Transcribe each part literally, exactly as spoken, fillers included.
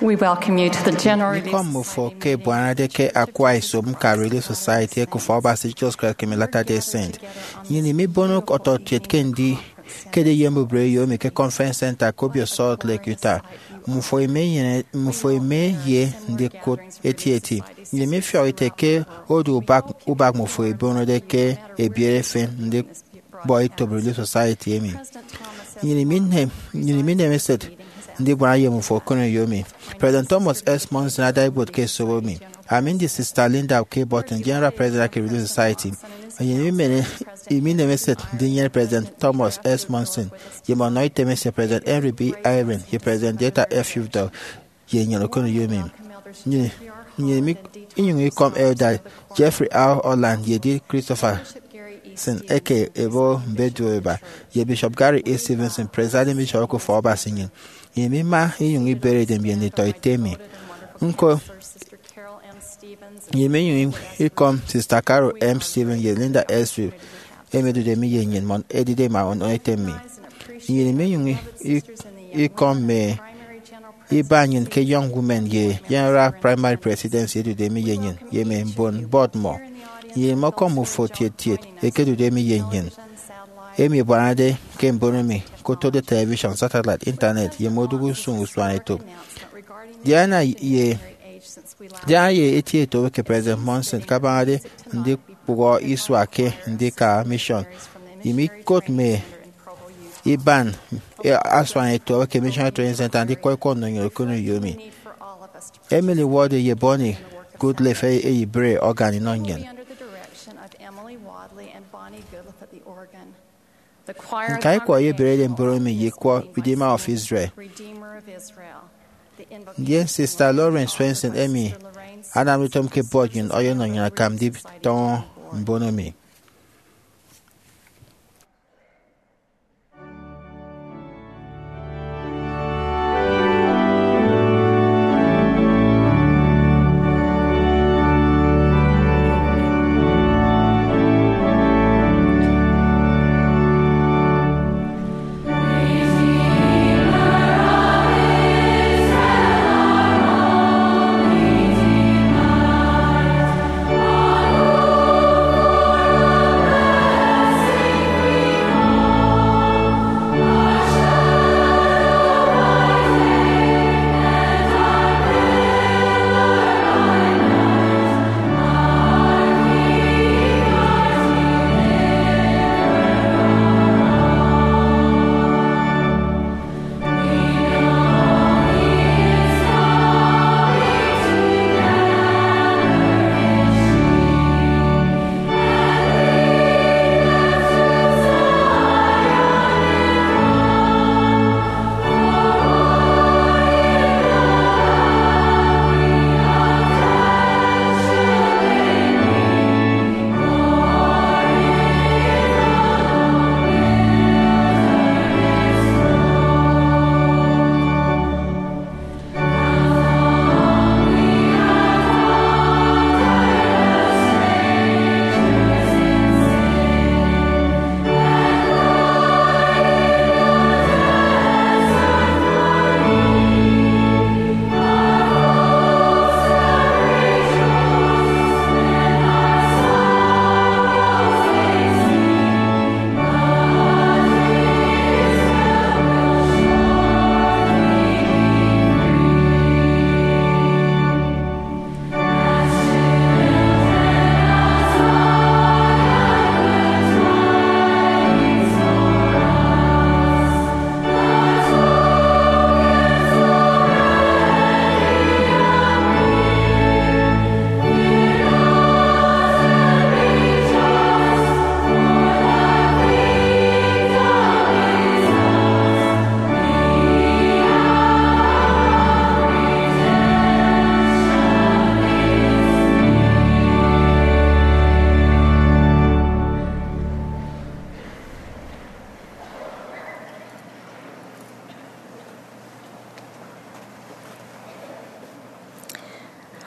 We welcome you to the general release. Ikọm mmufo ke ebuanade ke akwa iso mka Relief Society eke Ufọk Abasi Jesus Christ ke Latter-day Saint. Nnyịn imibono ọtọkiet ke ndi kede ye mbubreyo emi ke Conference Center ke obio Salt Lake, Utah. Mmufo imenyene, mmufo ime ye ndikụt etieti. Nnyịn imifiọk ite ke odu ubak, ubak mmufo ebonode ke ebiere efen ndi bọ itob Relief Society emi. Nnyịn iminem, nnyịn iminem esịt ndibuana ye mmufo okoneyo emi. President Thomas S. Monson ada ibuot ke esobo mi. Ami ndi Sister Linda K. Burton, General President ke Relief Society. Nnyịn iminem, iminem esịt ndinyene President Thomas S. Monson ye mme ọnọ item esie, President Henry B. Eyring ye President Dieter F. Uchtdorf, ye nnyịn okoneyo emi. Nnyịn, nnyịn imi-, inyụñ ikọm Elder Jeffrey R. Holland ye Dean Christopherson eke Ebo Mbedueba, ye Bishop Gary E. Stevenson, Presiding Bishop eke Ufọk Abasi nnyịn. Nnyịn imima inyụñ ibere idem ye nditọ ite mi. Ñko, nnyịn inyụñ ikọm Sister Carol M. Stevens ye Linda S. Swift, emi ẹdude mi ye nnyịn, mmọ ẹdide ẹma ọnọ item mi. Nnyịn imenyụñ i-, i-, ikọm mme iba nnyịn ke Young Women ye General Primary Presidency ẹdude mi ye nnyịn, ye mme mbon bọd mmọ. Nnyịn imọkọm mmufo tiet tiet ẹkedude mi ye nnyịn, emi ẹbuanade ke mbono mi, ke oto-do television, satellite, internet, ye mme odụk usụñ usuanetop. Diana ye, Diana ye eti etop eke President Monson kabañade ndi kpụhọ isua ke ndika mission. Imikot mme iban asuanetop eke Missionary Training Center ndikọ ikọ nnọ nnyịn okoneyo emi. Emily Ward ye Bonnie Goodliffe eyibre organ inọ nnyịn. Ñka ikwọ eyeberede mbon emi ye ikwọ Redeemer of Israel. Ndien Sister Lorraine Swenson, emi anamde utom ke bọd nnyịn, ọyọnọ nnyịn akam nditọñọ mbono mi.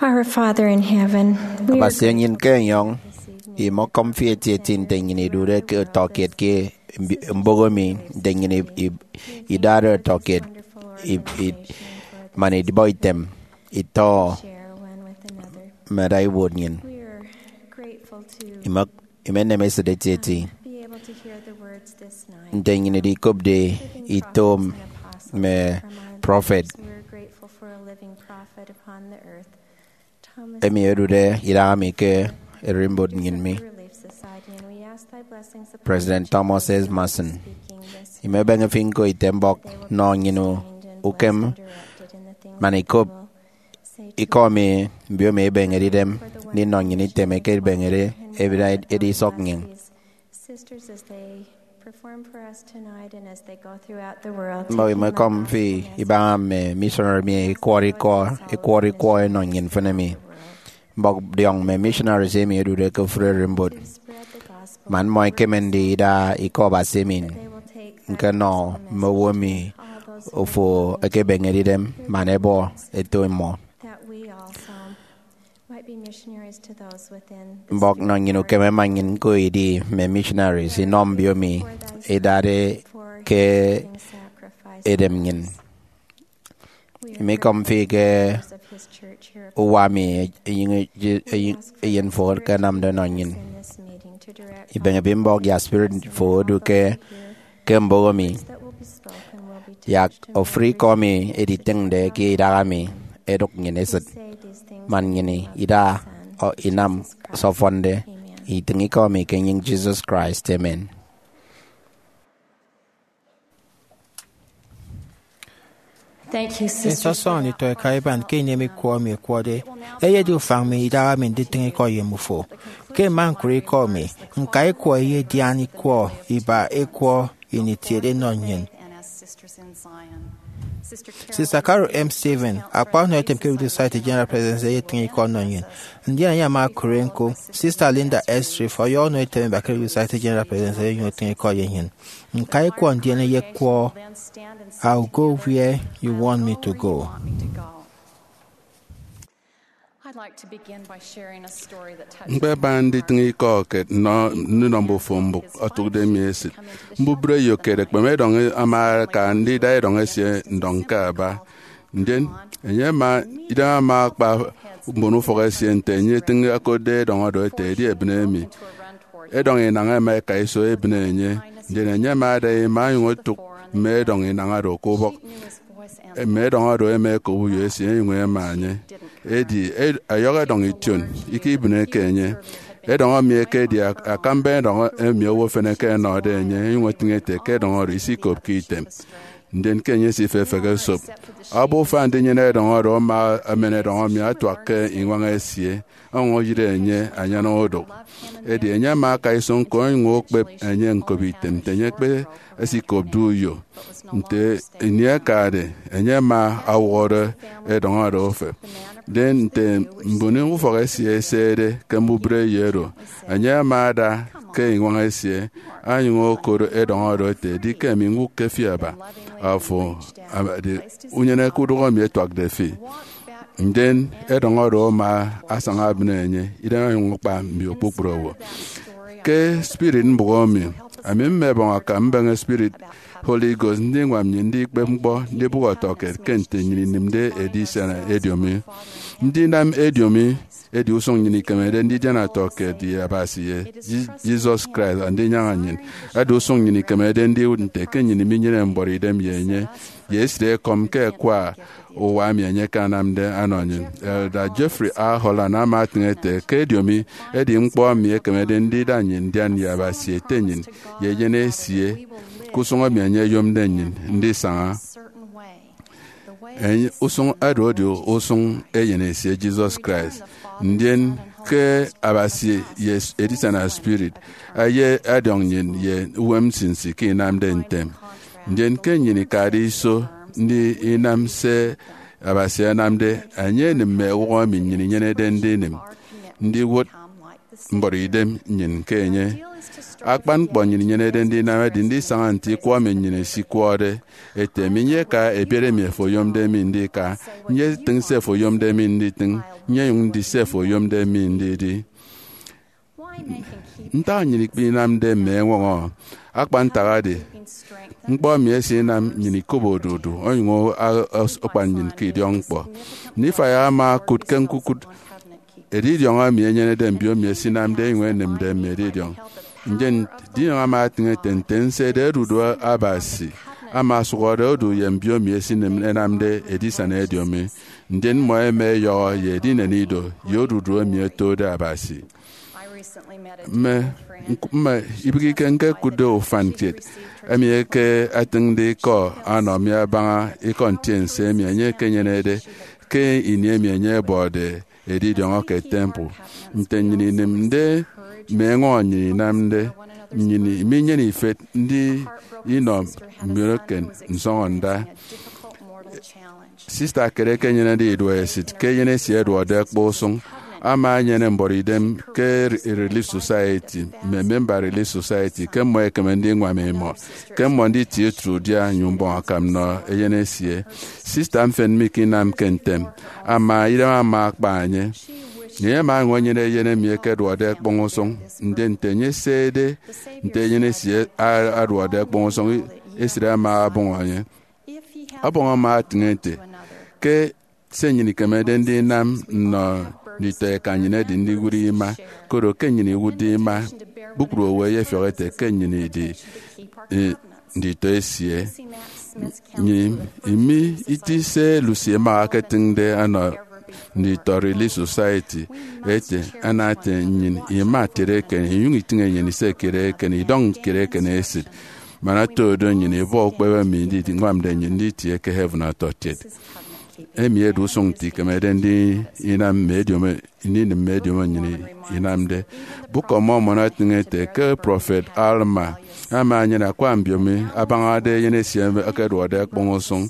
Our Father in heaven, we are Abasi enyịn ke enyọñ, imọkọm fi etieti nte nnyịn idude ke ọtọkiet ke mbi-, mbụk emi, nte nnyịn i-, i-, idade ọtọkiet i-, i-, man idibọ item itọ mme ada ibuot nnyịn. Ime- imenem esịt etieti nte nnyịn idikopde ito mme prọfet emi ẹdude idahaemi ke ererimbot nnyịn mi, President Thomas S. Monson. Imebeñe fi ñko ite mbọk nọ nnyịn ukem man ikop ikọ emi mbiomi ebeñede idem ndinọ nnyịn item eke ebeñede edi isọk nnyịn. Mbọk imekọm fi ibaña mme missionary mi ekwọrọ ikọ ekwọrọ ikọ enọ nnyịn mfịn emi. Mbọk diọñ mme missionaries emi ẹdude ke ofụri ererimbot, man mmọ ẹkeme ndida ikọ Abasi emi ñkenọ mme owo emi ofo ekebeñede idem man ẹbọ ẹto mmọ. Mbọk nọ nnyịn ukeme man nnyịn ñko idi mme missionaries inọ mbiomi idade ke edem nnyịn. Imikọm fi ke uwa mi enyịñ eyen fo ke anamde nọ nnyịn. Ibeñe fi mbọk yak spirit fo odu ke ke mboho mi, yak ofụri ikọ mi editịñde ke idaha mi edụk nnyịn esịt, man nnyịn ida inam se ọfọnde. Itịñ ikọ mi ke enyịñ Jesus Christ, amen. Nsọsọñọ nditọ eka iban ke ini emi ikwọ emi ekwọde eyedi ufañ mi idaha mi nditịñ ikọ ye mbufo. Ke mma ñkụre ikọ mi, ñka ikwọ eyedian ikwọ iba ikwọ ini itiede enọ nnyịn. Sister Carol M. Stephen, akpa ọnọ etem ke Relief Society General Presidency, eyetịñ ikọ ọnọ nnyịn, ndien enye ama okụre ñko. Sister Linda S. Street ọyọ ọnọ etem eba ke Relief Society General Presidency, enyụñ etịñ ikọ ye nnyịn. Ñka ikwọ ndien eyekwọ, "I'll go where you want me to go." Ñkpebaña nditịñ ikọ kiet nnọ ndinọ mbufo mbụk otụkde mi esịt. Mbubreyo kiet ekpeme edọñ ama aka ndida edọñ esie ndọñ ke aba. Ndien enye ama, idem ama akpa mbon ufọk esie nte enye etịñ okotde edọñ oro ete edi ebịne emi. Edọñ inañ ẹma ẹka iso ebịne enye, ndien enye ama ada ima onyụñ otụk mme edọñ inañ oro ke ubọk. Mme edọñ oro ẹma ẹkop uyo esie ẹnyụñ ẹma enye. Edi ed- ọyọhọ edọñ ition, ikibịneke enye. Edọñ emi ekedi ak- akamba edọñ emi owo efen eke ẹnọde enye, ẹnyụñ etịñ ete ke edọñ oro isikopke item. Ndien ke enye esifefehe esop, obufa ndinyene edọñ oro ama emen edọñ emi atuak ke iñwañ esie, ọñwọñọ eyịre enye anyan odụk. Edi enye ama aka iso ñko onyụñ okpep enye ñkop item nte enye ekpe esikopde uyo. Nte ini akade, enye ama ọwọrọ edọñ oro ofep. Ndien nte mbon ufọk esie ẹsede ke mbubreyo oro, enye ama ada ke iñwañ esie, onyụñ okoro edọñ oro ete, "Edi ke emi ñwụkke fi aba. Afo abade unyene ke udụk emi etuakde fi." Ndien edọñ oro ama asaña ebịne enye, idem onyụñ akpa mbio kpukpru owo. Ke spirit mbụk emi, ami mmebọñ akam mbeñe spirit Holy Ghost ndiñwam nnyịn ndikpep ñkpọ ndibụk ọtọkiet ke nte nnyịn inịmde edisana ediomi. Ndinam ediomi edi usụñ nnyịn ikemede ndidian ọtọkiet ye Abasi ye Je- Jesus Christ andinyaña nnyịn. Edi usụñ nnyịn ikemede ndiwụt nte ke nnyịn minyene mbọrọ idem ye enye ye esịt ekọm ke akwa uwa emi enye akanamde anọ nnyịn. Elder Jeffrey R. Holland ama etịñ ete ke ediomi edi ñkpọ emi ekemede ndida nnyịn ndian ye Abasi Ete nnyịn ye eyen esie ke usụñ emi enye oyomde nnyịn ndisaña. Enye- usụñ oro edi usụñ eyen esie Jesus Christ. Ndien ke Abasi ye edisana spirit, eye ọdiọñ nnyịn ye uwem nsinsi ke inamde ntem. Ndien ke nnyịn ikade iso ndi inam se Abasi anamde, enye enịm mme ewụhọ emi nnyịn inyenede ndinịm, ndiwụt mbọrọ idem nnyịn ke enye. Akpan ñkpọ nnyịn inyenede ndinam edi ndisaña nte ikwọ emi nnyịn esikwọde ete, "Minyeka ebiere emi afo oyomde mi ndika, nyetịñ se afo oyomde mi nditịñ, nyenyụñ ndi se afo oyomde mi ndidi." Ntak nnyịn ikpinamde mme eñwọñọ? Akpa ntak edi, ñkpọ emi esinam nnyịn ikop odudu onyụñ a-, as-, akpan nnyịn ke idiọkñkpọ. Nifai ama okụt ke ñkukụt edidiọñ emi enyenede mbiomi esinamde enyụñ enịmde mme edidiọñ. Ndien, edidiọñ ama atịñ ete nte nse ede odudu Abasi ama osụhọde odu ye mbiomi esinịm ẹnamde edisana ediomi. Ndien mmọ ẹma ẹyọhọ ye edinen ido ye odudu emi ẹtode Abasi. Mme, mme ibịghike ñkekụtde ufan kiet emi eke atịñde ikọ ọnọ mi abaña ikọ ntiense emi enye ekenyenede ke ini emi enye ọbọde edidiọñọ ke temple. Nte nnyịn inịmde mme eñwọñọ nnyịn inamde, nnyịn minyene ifet ndi inọ mbiomo ke nsọñọnda. Sista kiet ekenyenede iduọ esịt ke eyen esie ẹduọkde ẹkpọ usụñ ama enyene mbuọtidem ke Relief Society mme memba Relief Society ke mmọ ẹkeme ndiñwam imọ ke mmọ nditie udia nyụñ mbọñ akam nnọ eyen esie. Sista mfịn mikinamke ntem ama, idem ama akpa enye. Enye ama enyene eyen emi ekeduọkde ẹkpọñ usụñ, ndien nte enye esede nte eyen esie aduọkde ẹkpọñ usụñ, esịt ama ọbọñ enye. Ọbọñ ama atịñ ete ke se nnyịn ikemede ndinam nnọ nditọ eka nnyịn edi ndiwụt ima, koro ke nnyịn iwụtde ima, kpukpru owo ẹyefiọk ete ke nnyịn idi, eh, nditọ esie. Nnyịn imi iti se Lucy Mack etịñde ọnọ nditọ Relief Society ete, ana ete nnyịn ima kiet eken, inyụñ itịñ enyịn ise kiet eken, idọñ kiet eken esịt. Man oto do, nnyịn ibọ ukpep emi ndiñwamde nnyịn nditie ke heaven ọtọkiet. Emi edi usụñ nte ikemede ndi inam mme ediomo, ndinịm mme ediomo nnyịn inamde. Book of Mormon etịñ ete ke prọfet Alma ama enyene akwa mbiomi abañade eyen esie ekeduọkde ẹkpọñ usụñ.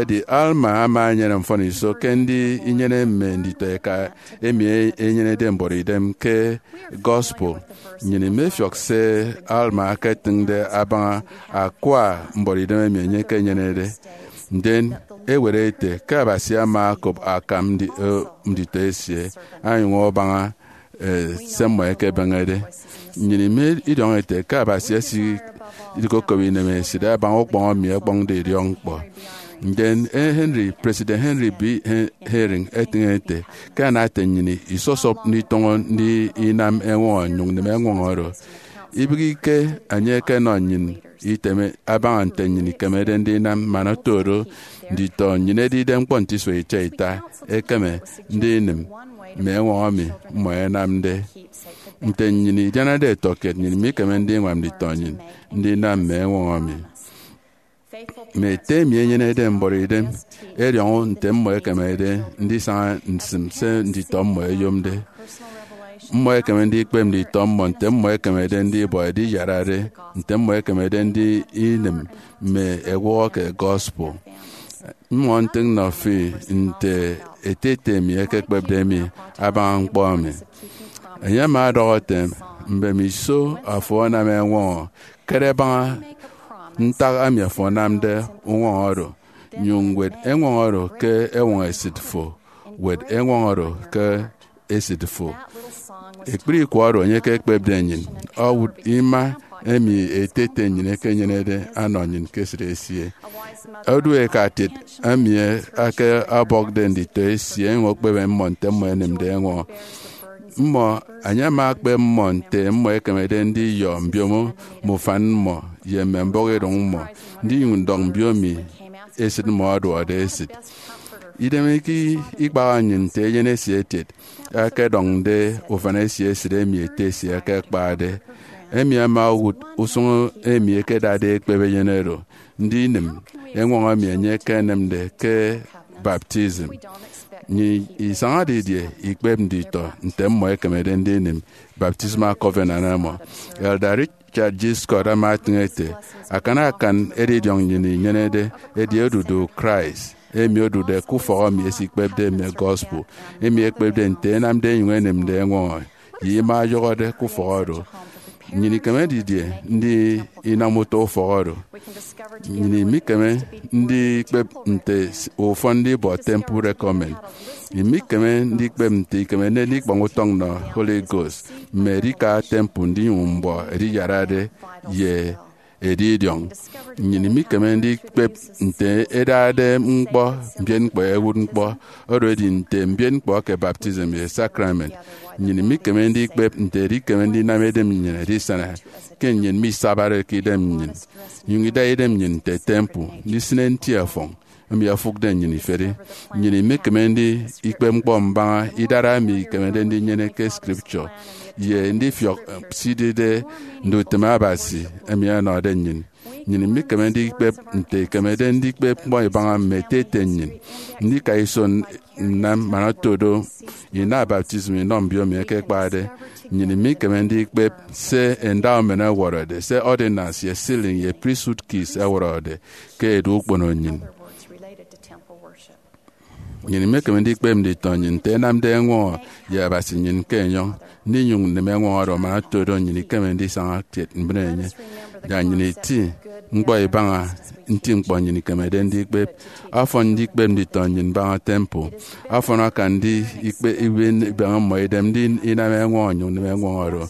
Edi Alma ama enyene mfọniso ke ndi inyene mme nditọ eka emi enyenede mbuọtidem ke gospel. Nnyịn imefiọk se Alma eketịñde abaña akwa mbuọtidem emi enye ekenyenede. Ndien ewet ete ke Abasi ama okop akam ndi-, eh, nditọ esie, anyụñ abaña, eh, se mmọ ẹkebeñede. Nnyịn ime idiọñ ete ke Abasi esidikokop inemesịt abaña ukpọñ emi ẹkpọñde idiọkñkpọ. Ndien, eh, Henry, President Henry B. He-, Eyring etịñ ete ke ana ete nnyịn isọsọp nditọñọ ndi inam eñwọñọ nnyụñ nịm eñwọñọ oro. Ibịghike enye ekenọ nnyịn item abaña nte nnyịn ikemede ndinam, man oto do, nditọ nnyịn ẹdide ñkpọ nte isua ita ita ẹkeme ndinịm mme eñwọñọ emi mmọ ẹnamde. Nte nnyịn idianade ẹtọkiet, nnyịn mikeme ndiñwam nditọ nnyịn ndinam mme eñwọñọ emi. Mme ete emi enyenede mbuọtidem ẹdiọñọ nte mmọ ẹkemede ndisaña nsịm se nditọ mmọ ẹyomde. Mmọ ẹkeme ndikpep nditọ mmọ nte mmọ ẹkemede ndibọ ediyarade, nte mmọ ẹkemede ndinịm mme ewụhọ ke gospel. Mmọ ntịñ nnọ fi nte ete ete emi ekekpepde mi abaña ñkpọ emi. Enye ama ọdọhọ ete, mbemiso afo anam eñwọñọ, kere baña ntak emi afo anamde uñwọñọ oro, nyụñ wet eñwọñọ oro ke eñwọñọ esịt fo, wet eñwọñọ oro ke esịt fo. Ekpri ikwọ oro enye ekekpepde nnyịn owụt ima emi ete ete nnyịn ekenyenede anọ nnyịn ke esịt esie. Odu eka kiet emi ake ọbọkde nditọ esie enyụñ okpebe mmọ nte mmọ ẹnịmde eñwọñọ. Mmọ, enye ama ekpep mmọ nte mmọ ẹkemede ndiyọ mbiomo mme ufan mmọ ye mme mbọhọidụñ mmọ, ndinyụñ ndọk mbiomi esịt mmọ ọduọkde esịt. Idem eke ikpaha nnyịn nte eyen esie etiet akedọñde ufan esie esịt emi ete esie akakpade. Emi ama owụt usụñ emi ẹkedade ẹkpep eyen oro, ndinịm eñwọñọ emi enye ekenịmde ke baptism. Nnyịn isaña didie ikpep nditọ nte mmọ ẹkemede ndinịm baptismal covenant emi? Elder Richard G. Scott ama etịñ ete, akan akan edidiọñ nnyịn inyenede edi odudu Christ, emi odude ke ufọk emi esikpepde mme gospel, emi ekpepde nte ẹnamde ẹnyụñ ẹnịmde eñwọñọ ye ima ọyọhọde ke ufọk oro. Nnyịn ikeme didie ndi inam utọ ufọk oro? Nnyịn imikeme ndikpep nte ufọn ndibọ temple recommend. Imikeme ndikpep nte ikemede ndikpọñ utọñ nnọ Holy Ghost mme edika temple ndinyụñ mbọ ediyarade ye edidiọñ. Nnyịn imikeme ndikpep nte edade ñkpọ mbien ñkpọ ewụt ñkpọ oro edi nte mbien ñkpọ ke baptism ye sacrament. Nnyịn imikeme ndikpep nte edikeme ndinam edem nnyịn edisana ke nnyịn misabade ke idem nnyịn, inyụñ ida idem nnyịn nte temple, ndisịne nti ọfọñ emi ofụkde nnyịn iferi. Nnyịn imikeme ndikpep ñkpọ mbaña idara emi ikemede ndinyene ke Scripture ye ndifiọk sidide ndutịm Abasi emi ọnọde nnyịn. Nnyịn imikeme ndikpep nte ikemede ndikpep ñkpọ ibaña mme ete ete nnyịn, ndika iso nnam man oto do ina baptism inọ mbiomi eke ẹkpade. Nnyịn imikeme ndikpep se endowment ọwọrọde, se ordinance ye sealing ye priesthood keys ọwọrọde ke edu ukpono nnyịn. Nnyịn imekeme ndikpep nditọ nnyịn nte ẹnamde eñwọñọ ye Abasi nnyịn ke enyọñ, ndinyụñ nneme eñwọñọ oro man oto do nnyịn ikeme ndisaña kiet mbre enye. Yak nnyịn iti ñkpọ ibaña nti ñkpọ nnyịn ikemede ndikpep. Ọfọn ndikpep nditọ nnyịn mbaña temple. Ọfọn akan ndi ikpe ibe ibeñe mmọ idem ndi inam eñwọñọ nnyụñ nneme eñwọñọ oro.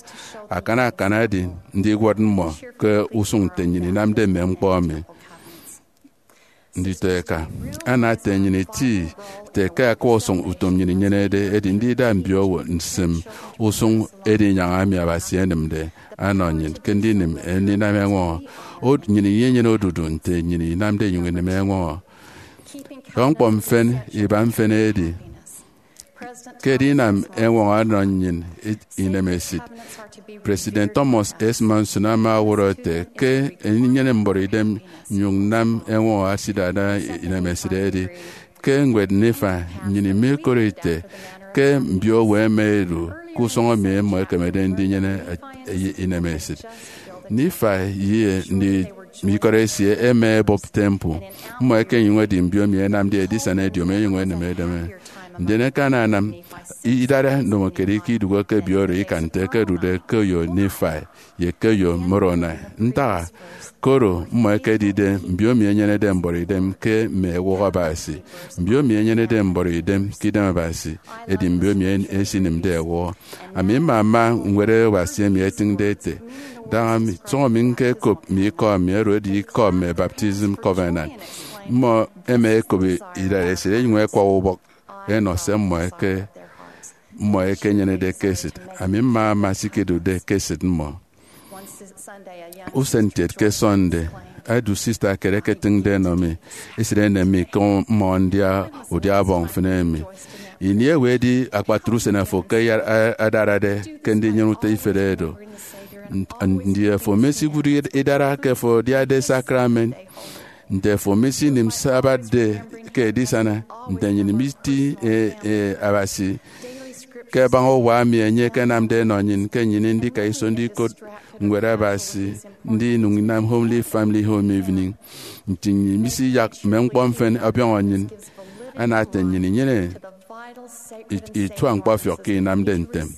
Akan akan edi ndiwọt mmọ ke usụñ nte nnyịn inamde mme ñkpọ emi. Nditọ eka, ana ete nnyịn iti ete ke akwa usụñ utom nnyịn inyenede edi ndida mbiowo nsịm usụñ edinyaña emi Abasi enịmde anọ nnyịn ke ndinịm ndinam eñwọñọ. Od- nnyịn inyenyene odudu nte nnyịn inamde inyụñ inịm eñwọñọ. Dọ ñkpọ mfịn iba mfịn edi ke edinam eñwọñọ ọnọ nnyịn inemesịt. President Thomas S. Monson ama ọwọrọ ete ke enyene mbọrọidem nnyụñ nnam eñwọñọ asidada inemesịt edi ke ñwed Nifai. Nnyịn imikọrọ ite ke mbiowo ẹma ẹdu ke usụñ emi mmọ ẹkemede ndinyene inemesịt. Nifai ye mme ikọt esie ẹma ẹbụp temple. Mmọ ẹkenyụñ ẹdi mbiomi ẹnamde edisana ediomi ẹnyụñ ẹnịm edeme. Ndien ẹkananam idara ndomokiet ke idụhe ke ebi oro ikan nte ẹkedude ke eyo Nifai ye ke eyo Moroni. Ntak-a? Koro mmọ ẹkedide mbiomi ẹnyenede mbọrọidem ke mme ewụhọ Abasi. Mbiomi ẹnyenede mbọrọidem ke idem Abasi, edi mbiomi esinịmde ewụhọ. Ami mmama ñwed Abasi emi etịñde ete, daña mi, sọñọ mi ñkekop mme ikọ mi, oro edi ikọ mme baptism covenant. Mmọ ẹma ẹkop idaresit ẹnyụñ ẹkwak ubọk ẹnọ se mmọ eke mmọ ekenyenede ke esịt. Ami mmama se ikedụkde ke esịt mmọ. Usen kiet ke Sunday, edu sista kiet eketịñde ẹnọ mi esịt enem mi ke mmọ ndia udia ọbọñ mfịn emi. Ini ewe edi akpatre usen afo ke ya- a- adarade ke ndinyene utọ ifet edo? Nt- Ndi afo mesiwụt id- idara ke afo adiade sacrament? Nte afo misinịm Sabbath Day ke edisana? Nte nnyịn miti e- e- Abasi ke abaña uwa emi enye ekenamde enọ nnyịn ke nnyịn ndika iso ndikot ñwed Abasi, ndi inyụñ inam Holy Family Home Evening? Nti nnyịn misiyak mme ñkpọ mfịn ọbiọñọ nnyịn? Ana ete nnyịn inyene it- itua ñkpọfiọk ke inamde ntem.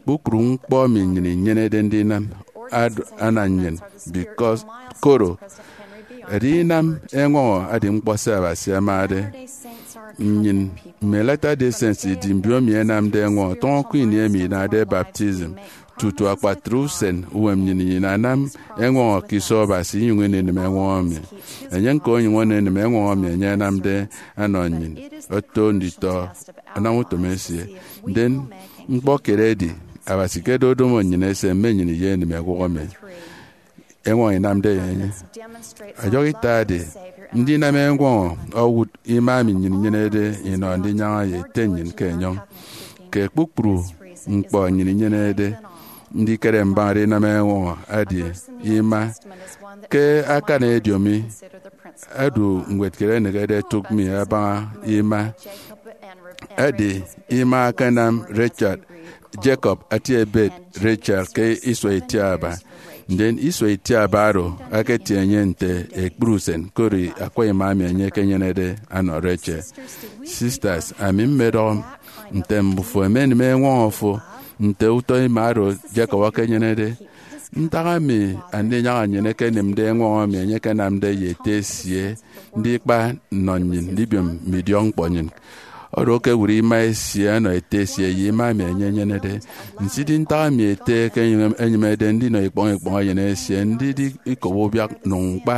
Kpukpru ñkpọ emi nnyịn inyenede ndinam ad- ana nnyịn, because koro edinam eñwọñọ edi ñkpọ se Abasi amade. Nnyịn mme Latter-day Saints idi mbiomi ẹnamde eñwọñọ tọñọ ke ini emi inade baptism. Tutu akpatre usen uwem nnyịn inanam eñwọñọ ke iso Abasi inyụñ inenịm eñwọñọ emi. Enye ñko onyụñ onenịm eñwọñọ emi enye anamde anọ nnyịn, oto nditọ anam utom esie. Ndien ñkpọ kiet edi, Abasi ke ododomo nnyịn ese mme nnyịn ye enịm ewụhọ emi eñwọñọ inamde ye enye. Ọyọhọ ita edi, ndinam eñwọñọ owụt ima emi nnyịn inyenede inọ ndinyaña ye Ete nnyịn ke enyọñ. Ke kpukpru ñkpọ nnyịn inyenede ndikere mbaña edinam eñwọñọ edi ima. Ke akan ediomi, edu ñwed kiet ẹnịkede ẹtụk mi abaña ima. Edi ima akanam Rachel, Jacob, ati ebet Rachel ke isua itiaba. Ndien isua itiaba oro aketie enye nte ekpri usen, koro akwa ima emi enye ekenyenede anọ Rachel. Sisters, ami mmedọhọ nte mbufo ẹmenịm eñwọñọ fo nte utọ ima oro Jacob akanyenede. Ntak emi andinyaña nnyịn ekenịmde eñwọñọ emi enye ekenamde ye ete esie ndikpa nnọ nnyịn ndibiom mme idiọkñkpọ nnyịn? Oro ke ewụt ima esie ọnọ ete esie ye ima emi enye enyenede. Nsidị ntak emi ete ekenyịmede ndinọ ikpọñ ikpọñ eyen esie, ndidi ikop ubiak, nụñ ñkpa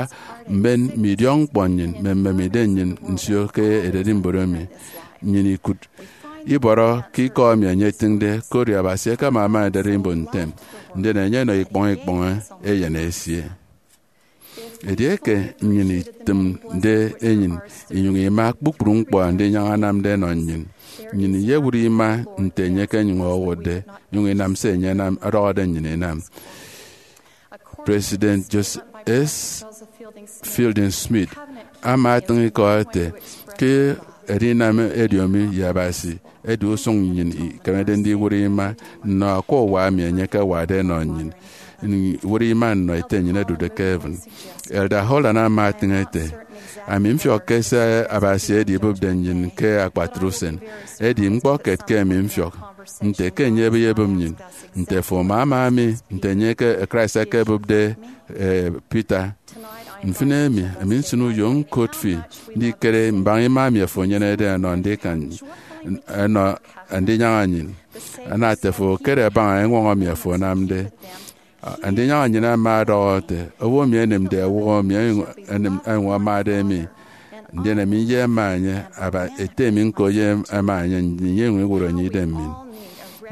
mben mme idiọkñkpọ nnyịn, mme mmemidem nnyịn nsio ke ererimbot emi. Nnyịn ikụt ibọrọ ke ikọ emi enye etịñde, koro Abasi ekeme ama ederimbot ntem, ndien enye enọ ikpọñ ikpọñ eyen esie. Edieke nnyịn itịmde enyịn inyụñ ima kpukpru ñkpọ andinyaña anamde ẹnọ nnyịn, nnyịn iyewụt ima nte enye ekenyụñ owụtde, inyụñ inam se enye anam, ọdọhọde nnyịn inam. President Joseph S. Fielding Smith ama atịñ ikọ ete ke edinam ediomi ye Abasi edi usụñ nnyịn ikemede ndiwụt ima nnọ akwa uwa emi enye ekewade enọ nnyịn, iwụt ima nnọ Ete nnyịn ẹdude ke heaven. Elder Holland ama atịñ ete, ami mfiọkke se Abasi edibụpde nnyịn ke akpatre usen, edi ñkpọkiet ke ami mfiọk nte ke enye eyebịp nnyịn, nte fo ama ama mi, nte enye ke Christ ekebụpde, eh, Peter. Mfịn emi, ami nsịn uyo ñkot fi ndikere mbaña ima emi afo enyenede ẹnọ ndikan, ẹnọ andinyaña nnyịn. Ana ete afo okere abaña eñwọñọ emi afo anamde. Andinyaña nnyịn ama ọdọhọ ete, owo emi enịmde ewụhọ mi, enyụñ, enyụñ amade mi, ndien ami ye ẹma enye, aba ete mi ñko ye ẹma enye, nnyịn inyụñ iwụt enye idem mi.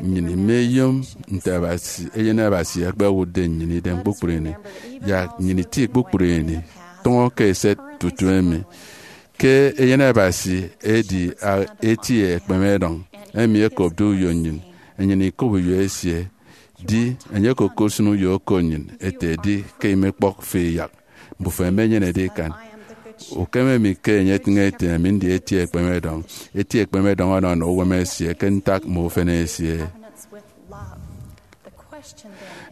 Nnyịn imeyom nte Abasi, Eyen Abasi ekpewụtde nnyịn idem kpukpru ini. Yak nnyịn iti kpukpru ini, tụñọ ke eset tutu emi, ke Eyen Abasi edi a- eti ekpemedọñ emi ekopde uyo nnyịn, enyịn ikop uyo esie. Di, enye okokosịn uyo oko nnyịn ete, di ke imekpọk fi iyak, mbufo ẹmenyenede ikan. Ukeme mi ke enye etịñ ete, ami ndi eti ekpemedọñ. Eti ekpemedọñ ọnọ ọnọ uwem esie ke ntak mme ufen esie.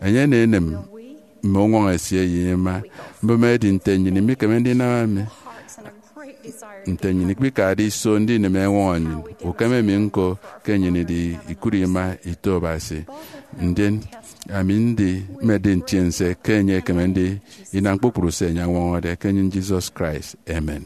Enye enenem mme uñwọñọ esie ye ima. Mbụme edi, nte nnyịn imikeme ndinam emi? Nte nnyịn ikpikade iso ndinem eñwọñọ nnyịn? Ukeme mi ñko ke nnyịn idi ikụt ima ito Abasi. Ndien ami ndi mmedi ntiense ke enye ekeme ndi inam kpukpru se enye añwọñọde, ke enyịñ Jesus Christ. Amen.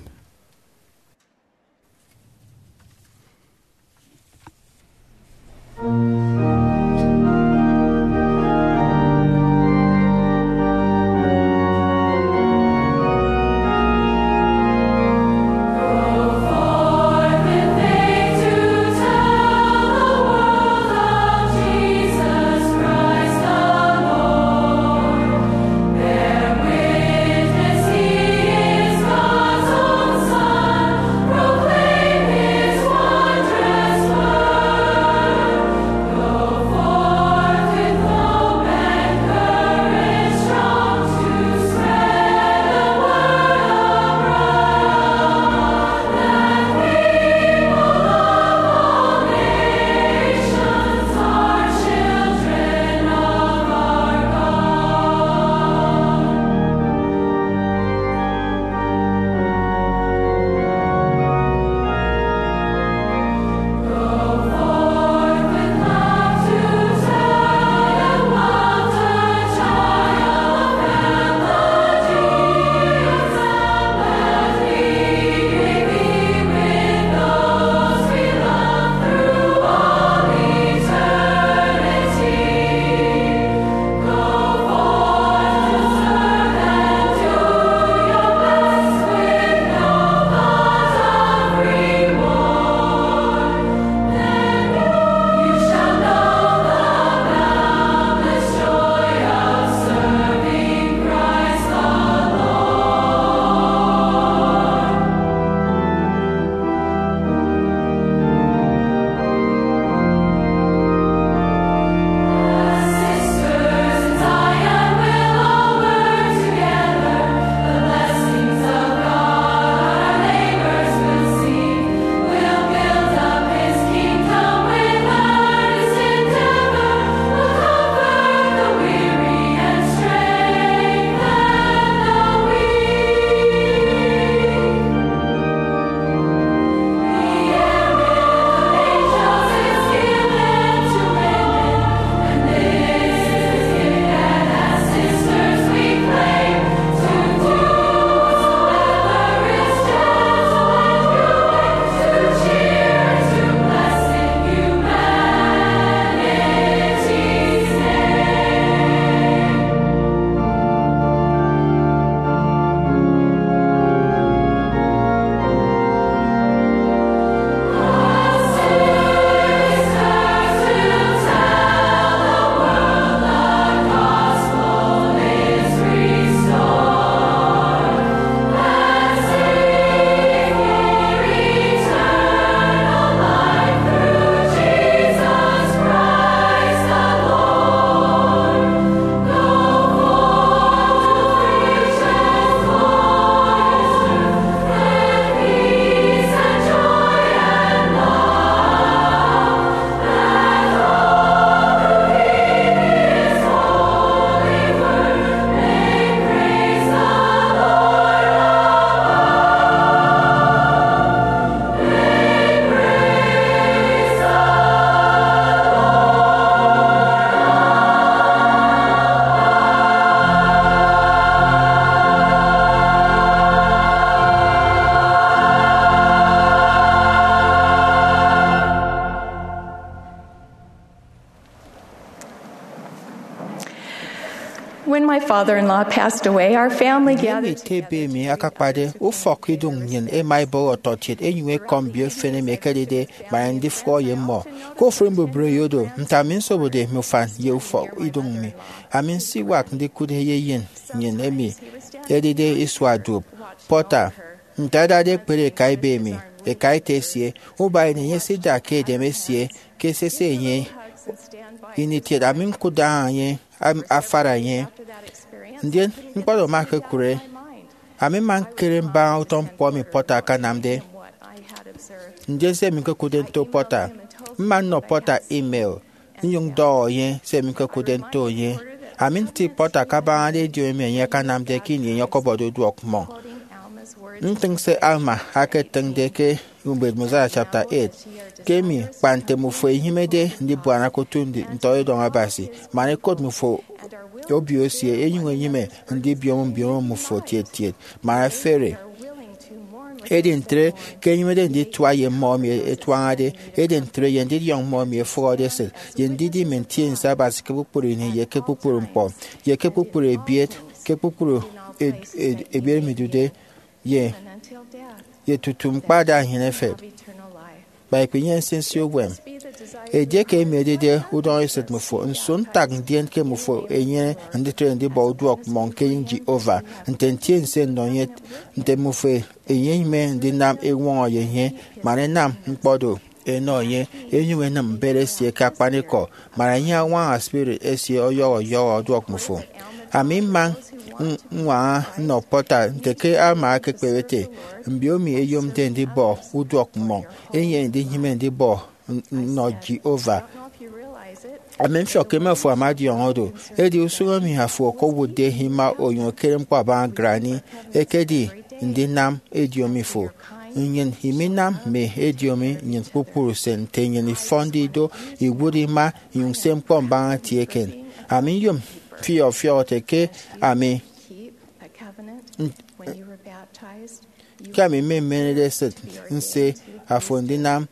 When my father-in-law passed away, our family gathered ete ebe emi akakpade, ufọk iduñ nnyịn ema ebọhọ ọtọkiet enyuñ ekọm mbio efen emi ekedide man ndifụhọ ye mmọ. Ke ofụri mbubreyo do, nte ami nsobode mme ufan ye ufọk iduñ mi, ami nsiwak ndikụt eyeyen nnyịn emi edide isua duop, Porter. Nte adade ekpere eka ebe emi, eka ete esie, uba ini enye esida ke edem esie ke esese enye ini kiet, ami ñkụtde aña enye, am- afara enye. Ndien ñkpọt oro ama ekekụre, ami mma ñkere mbaña utọ ñkpọ emi Porter akanamde. Ndien se emi ñkekụtde nto Porter, mma nnọ Porter email, nnyụñ ndọhọ enye se emi ñkekụtde nto enye. Ami nti Porter kabañade ediomi emi enye akanamde ke ini enye ọkọbọde uduọk mmọñ. Ntịñ se Alma aketịñde ke Ubet Mosiah chapter eight, ke emi kpa nte mmufo inyịmede ndibuana ke otu ndi- ntọñọ edọñ Abasi, man ekot mmufo obio esie, enyuñ enyịme ndibiom mbiomo mmufo tiet tiet, man efere. Edi ntre ke enyịmede nditua ye mmọ emi etuañade, edi ntre ye ndidiọñ mmọ emi efụhọde esịt, ye ndidi Mme Ntiense Abasi ke kpukpru ini ye ke kpukpru ñkpọ, ye ke kpukpru ebiet, ke kpukpru ed- ed- ebiet emi idude, ye ye tutu mkpada nnyịn efep, kpa ikpinyene nsinsi uwem. Edieke emi edide udọñesịt mmufo, nso ntak ndien ke mmufo enyene nditre ndibọ uduọk mmọñ ke enyịñ Jehovah? Nte ntiense nnọ enye, nte mmufo enyịme ndinam eñwọñọ ye enye, man ẹnam ñkpọ do ẹnọ enye, ẹnyụñ ẹnịm mbet esie ke akpanikọ, man enye añwaña spirit esie ọyọhọ ọyọhọ ọduọk mmufo. Ami mma ñwaña nnọ Porter nte ke Alma ekekpep ete, mbiomi ẹyomde ndibọ uduọk mmọñ, ẹnyene ndinyịme ndibọ nnọ Jehovah. Ami mfiọk ke mme afo ama ọdiọñọ do, edi usụñ emi afo okowụtde ima onyụñ ekere ñkpọ abaña granny ekedi ndinam ediomi fo. Nnyịn iminam mme ediomi nnyịn kpukpru usen nte nnyịn ifọnde ido, iwụt ima, inyụñ se ñkpọ mbaña eti eken. Ami nyom mfiọk mfiọk ete ke ami ke ami mmemenede esịt nse afo ndinam,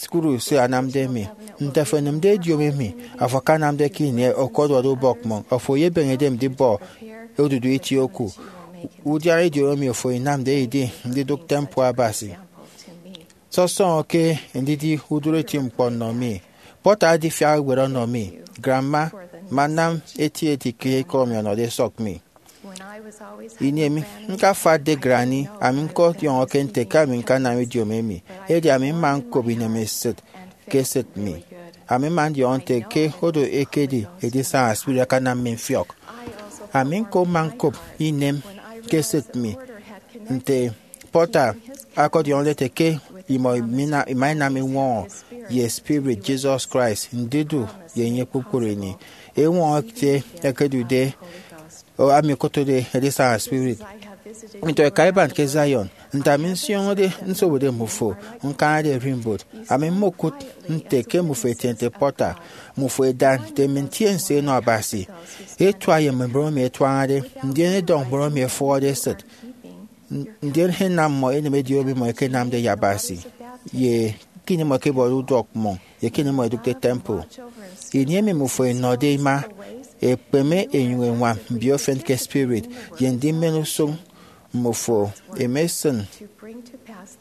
kpukpru se anamde mi. Nte afo enịmde ediomi emi afo akanamde ke ini okoduọde ubọk mmọñ, afo eyebeñede ndibọ odudu itie oku. Udiana ediomi emi afo inamde edi ndidụk temple Abasi. Sọsọñọ ke ndidi udụri eti ñkpọ nnọ mi, Porter adifiak ewet ọnọ mi, Grandma, mma nnam eti eti ke ikọ emi ọnọde esọk mi. Ini emi ñkafatde granny, ami ñkọdiọñọke nte ke ami ñkanam ediomi emi, edi ami mma ñkop inemesịt ke esịt mi. Ami mma ndiọñọ nte ke odo ekedi edisaña spirit akanam mi mfiọk. Ami ñko mma ñkop inem ke esịt mi nte Porter ọkọdiọñọde ete ke imọ imina- ima inam eñwọñọ ye spirit Jesus Christ ndidu ye enye kpukpru ini. Eñwọñọ ete ẹkedude, o, ami okotode edisaña spirit. Nto eka iban ke Zion, nte ami nsioñode nsobode mmufo, ñkañade ererimbot, ami mmokụt nte ke mmufo etiente Porter, mmufo eda nte Mme Ntiense enọ Abasi, etua ye mme mbon emi ẹtuañade, ndien ẹdọñ mbon emi ẹfụhọde esịt, ndien ẹnam mmọ ẹnịm ediomi mmọ ẹkenamde ye Abasi, ye ke ini mmọ ẹkebọde uduọk mmọñ, ye ke ini mmọ ẹdụkde temple. Ini emi mmufo ẹnọde ima, ẹkpeme ẹnyụñ ẹñwam mbio efen ke spirit, ye ndimen usụñ mmufo, ẹma ẹsịn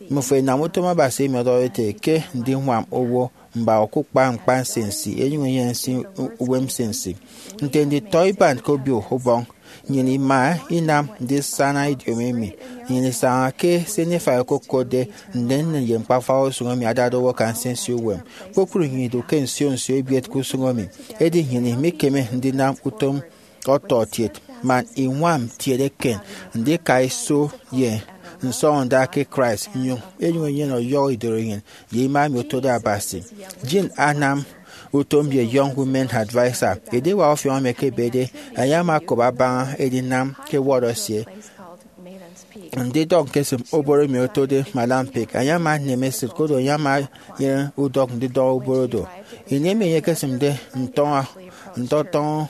mmufo ẹnam utom Abasi emi ọdọhọde ete ke ndiñwam owo mba okukpa ñkpa nsinsi, ẹnyụñ ẹnyene nsi uwem nsinsi. Nte nditọiban ke Obio Ubọñ, nnyịn ima inam ndisana ediomi emi. Nnyịn isaña ke se Nephi okokotde nnennen ye ñkpa-ufak usụñ emi adade owo aka nsinsi uwem. Kpukpru nnyịn idu ke nsio nsio ebiet ke usụñ emi, edi nnyịn imikeme ndinam utom ọtọkiet man iñwam ntiede eken ndika iso ye nsọñọnda ke Christ, nnyụñ enyụñ enyene ọyọhọ idoroinyịn ye ima emi otode Abasi. Jean anam utom ye Young Women Adviser. Ediwak ọfiọñ emi ekebede, enye ama okop abaña edinam ke ward esie, ndidọk ñkesịm oboro emi otode Madam Peake. Enye ama enem esịt, koro enye ama enyene udọk ndidọhọ oboro do. Ini emi enye ekesịmde ntọñọ, ntọtọñọ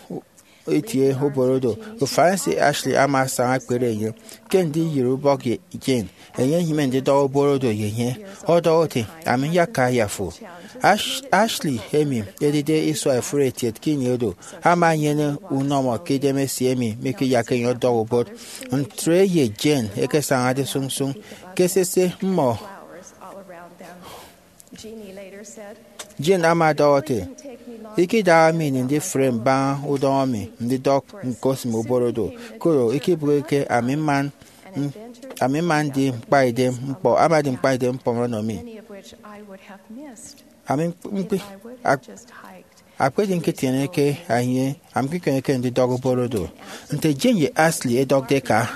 itie ubọrọ do. Ufan ese Ashley ama asaña ekpere enye ke ndiyịre ubọk ye Jane. Enye enyịme ndidọhọ ubọrọ do ye enye, ọdọhọ ete, "Ami nyaka ayafo." Ash- Ashley, emi edide isua efuri etiet ke ini edo, ama enyene unọmọ ke idem esie emi mikiyakke enye ọdọhọ ubọrọ. Ntre ye Jane ekesañade sụñsụñ ke sese mmọ. Jane ama ọdọhọ ete, "Ikidaha mi ini ndifre mbaña udọñọ mi ndidọk ñkosịm ubọrọ do, koro ikebịghike ami mma, ami mma ndi ñkpaidem ñkpọ, ama edi ñkpaidem ñkpọ ọnọ mi." Ami mkpi- ak- Akpedi ñketieneke enye, ami ñkekemeke ndidọk ubọrọ do. Nte Jane ye Ashley ẹdọkde ẹka,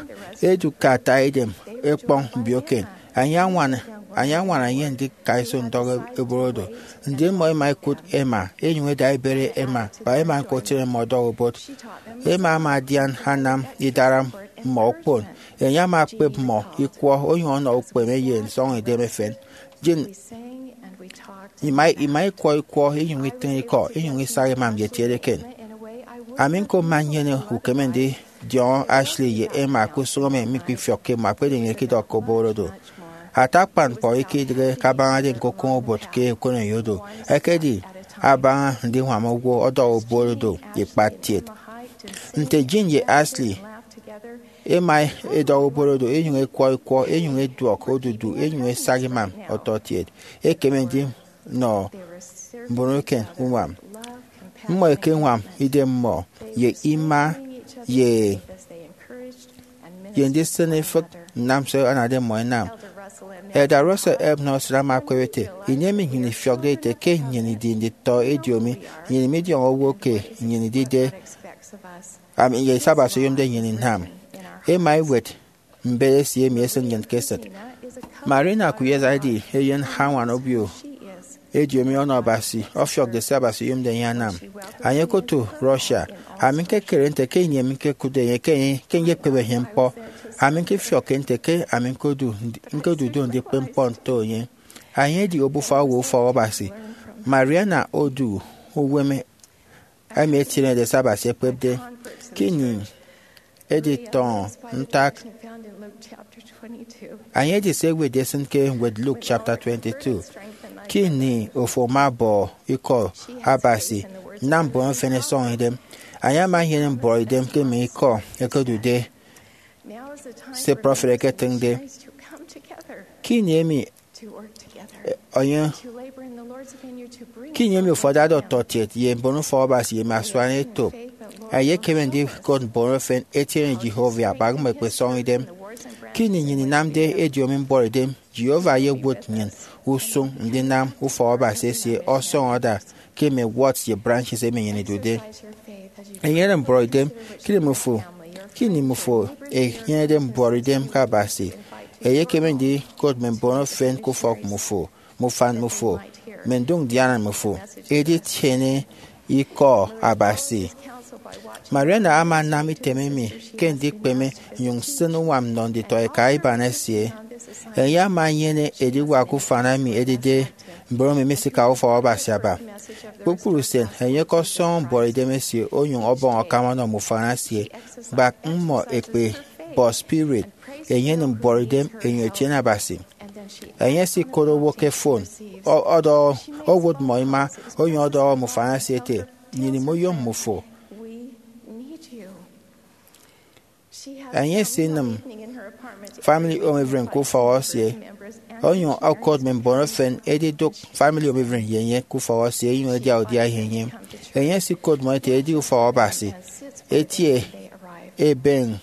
ẹdu ke ata edem ẹkpọñ mbiokiet. Enye añwana enye ndika iso ndọk ubọrọ do. Ndien mmọ ẹma ẹkụt ẹma, ẹnyụñ ẹda ibere ẹma, kpa ẹma ñko ẹtiene mmọ ọdọhọ ubọrọ. Emama adian anam idara mmọ okpon. Enye ama ekpep mmọ ikwọ, onyụñ ọnọ ukpeme ye nsọñidem efen. Jane ima ima ikwọ ikwọ, inyụñ itịñ ikọ, inyụñ isaña imam ye etiede eken. Ami ñko mma nnyene ukeme ndidiọñọ Ashley ye Emma ke usụñ emi mikpifiọkke mmọ, akpedi enye ikidọkke ubọrọ do. Ata akpan ñkpọ eke idịghe kabañade ñkokoñ obot ke okoneyo do, ekedi abaña ndiñwam owo ọdọhọ ubọrọ do ye ikpattiet. Nte Jane ye Ashley ẹma ẹdọhọ ubọrọ do, ẹnyụñ ẹkwọ ikwọ, ẹnyụñ ẹduọk odudu, ẹnyụñ ẹsaña imam ọtọkiet, ekeme ndinọ mbon eken uñwam. Mmọ ẹkeñwam idem mmọ ye ima ye ye ndisịn ifịk nnam se anade mmọ ẹnam. Elder Russell M. Nelson ama ekpep ete, "Ini emi nnyịn ifiọkde ite ke nnyịn idi nditọ ediomi, nnyịn midiọñọ owo ke nnyịn idide, ami ye se Abasi oyomde nnyịn inam." Ẹma ẹwet mbet esie emi esịn nnyịn ke esịt. Marina Kuyeza edi eyen añwan obio ediomi ọnọ Abasi, ọfiọkde se Abasi oyomde enye anam. Enye okotu Russia. Ami ñkekere nte ke ini emi ñkokụtde enye ke enye ke nyekpep enye ñkpọ, ami ñkifiọkke nte ke ami ñkodu ñkodu do ndikpep ñkpọ nto enye. Enye edi obufa owo ufọk Abasi. Marina odu uwem emi etienede se Abasi ekpepde. Ke ini editọñọ ntak, enye edi se ewetde esịn ke ñwed Luke chapter twenty-two. Ke ini ofo ama ọbọ ikọ Abasi, nam mbon efen ẹsọñ idem. Enye ama enyene mbọrọidem ke mme ikọ ẹkedude se prọfet eketịñde. Ke ini emi enye ke ini emi ofo adade ọtọkiet ye mbon ufọk Abasi ye mme asuan etop, ẹyekeme ndikot mbon efen ẹtiene Jehovah, kpa mmọ ẹkpesọñ idem. Ke ini nnyịn inamde ediomi mbọrọidem, Jehovah eyewot nnyịn usụñ ndinam ufọk Abasi esie ọsọñọ ada ke mme woods ye branches emi nnyịn idude. Enyene mbọrọidem ke ini mmufo ke ini mmufo enyenede mbọrọidem ke Abasi, eyekeme ndikot mme mbon efen ke ufọk mmufo, mme ufan mmufo, mme ndụk ndiana mmufo, editiene ikọ Abasi. Mariana ama anam item emi ke ndikpeme nnyụñ nsịn uñwam nnọ nditọ eka iban esie. Enye ama enyene ediwak ufan emi edide mbon emi misikade ufọk Abasi aba. Kpukpru usen, enye ọkọsọñọ mbọrọidem esie onyụñ ọbọñ akam ọnọ mme ufan esie, kpak mmọ ẹkpebọ spirit, ẹnyene mbọrọidem, ẹnyụñ ẹtiene Abasi. Enye esikot owo ke fon, ọ- ọdọhọ, owot mmọ ima, onyụñ ọdọhọ mme ufan esie ete, "Nnyịn imoyom mmufo." Enye esinịm Family Home Evening ke ufọk esie, onyụñ okot mme mbon efen edidụk Family Home Evening ye enye ke ufọk esie, enyụñ ẹdia udia ye enye. Enye esikot mmọ ete edi ufọk Abasi etie ebeñe.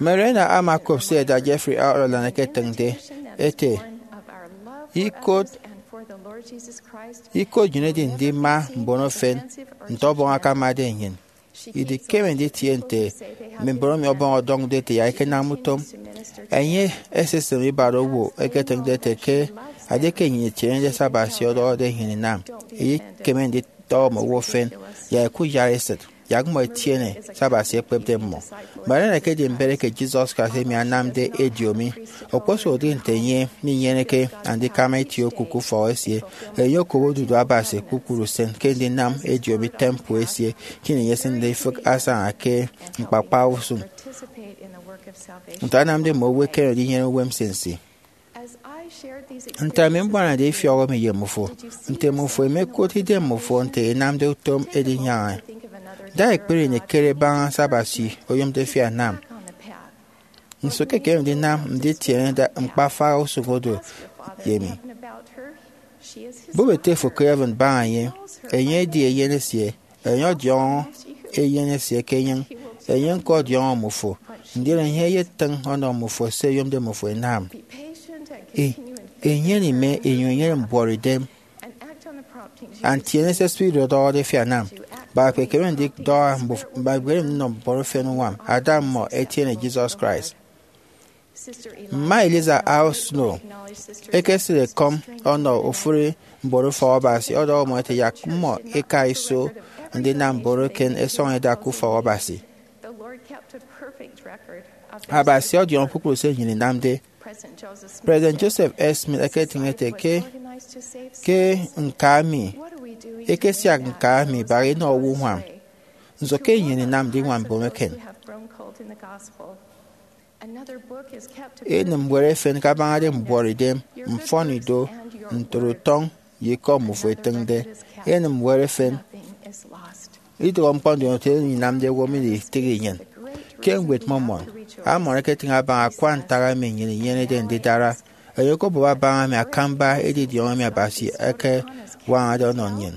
Mariana ama okop se Elder Jeffrey R. Holland eketịñde ete, "Ikot ikot nnyịn edi ndima mbon efen nte ọbọñ akamade nnyịn. Idikeme nditie nte mme mbon emi ọbọñ ọdọñde ete yak ẹkenam utom." Enye esisịm ibara owo eketịñde ete ke edieke nnyịn itienede se Abasi ọdọhọde nnyịn inam, eyekeme nditọñọ mme owo efen yak ẹkuyara esịt. yak mmọ ẹtiene se Abasi ekpepde mmọ. Marian ekedi mbet eke Jesus Christ emi anamde ediomi. Okposụkedi nte enye minyeneke andikama itie oku ke ufọk esie, enye okobo odudu Abasi kpukpru usen ke ndinam ediomi temple esie ke ini enye esịnde ifịk asaña ke ñkpakpa usụñ. Nte anamde mme owo ẹkeme ndinyene uwem nsinsi. Nte ami mbuanade ifiọk emi ye mmufo, nte mmufo imekot idem mmufo nte inamde utom edinyaña? Da ekpere ini kere baña se Abasi oyomde fi anam. Nso ke ekeme ndinam nditiene ñkpafaha usụñ odu ye emi? Bụp ete fo ke heaven baña enye. Enye edi Eyen esie. Enye ọdiọñọ Eyen esie ke enyịñ. Enye ñko ọdiọñọ mmufo, ndien enye eyetịñ ọnọ mmufo se eyomde mmufo inam. E- Enyene ime inyụñ inyene mbuọtidem, and tiene se Spirit ọdọhọde fi anam. Baba, kpekeme ndidọhọ mbuf- baba, kpekeme ndinọ mbon efen uñwam ada mmọ ẹtiene Jesus Christ. Mma Eliza R. Snow ekesịt ekọm ọnọ ofụri mbon ufọk Abasi, ọdọhọ mmọ ete, yak mmọ ika iso ndinam mbon eken ẹsọñ ẹda ke ufọk Abasi. Abasi ọdiọñọ kpukpru se nnyịn inamde. President Joseph F. Smith eketịñ ete ke, ke ñka mi, ekesiak ñka mi baha inọ owo uñwam. Nso ke nnyịn inamde iñwam mbon eken? Enịm ñwed efen kabañade mbuọtidem, mfọnido, ntotutọñ, ye ikọ mmufo etịñde. Enịm ñwed efen. Idụhe ñkpọ ndinam nte emi inamde owo miditịghi nnyịn. Ke Ñwed Mormon, Amọn eketịñ abaña akwa ntak emi nnyịn inyenede ndidara. Enye okobụp abaña emi akamba edidiọñ emi Abasi ekewañade ọnọ nnyịn.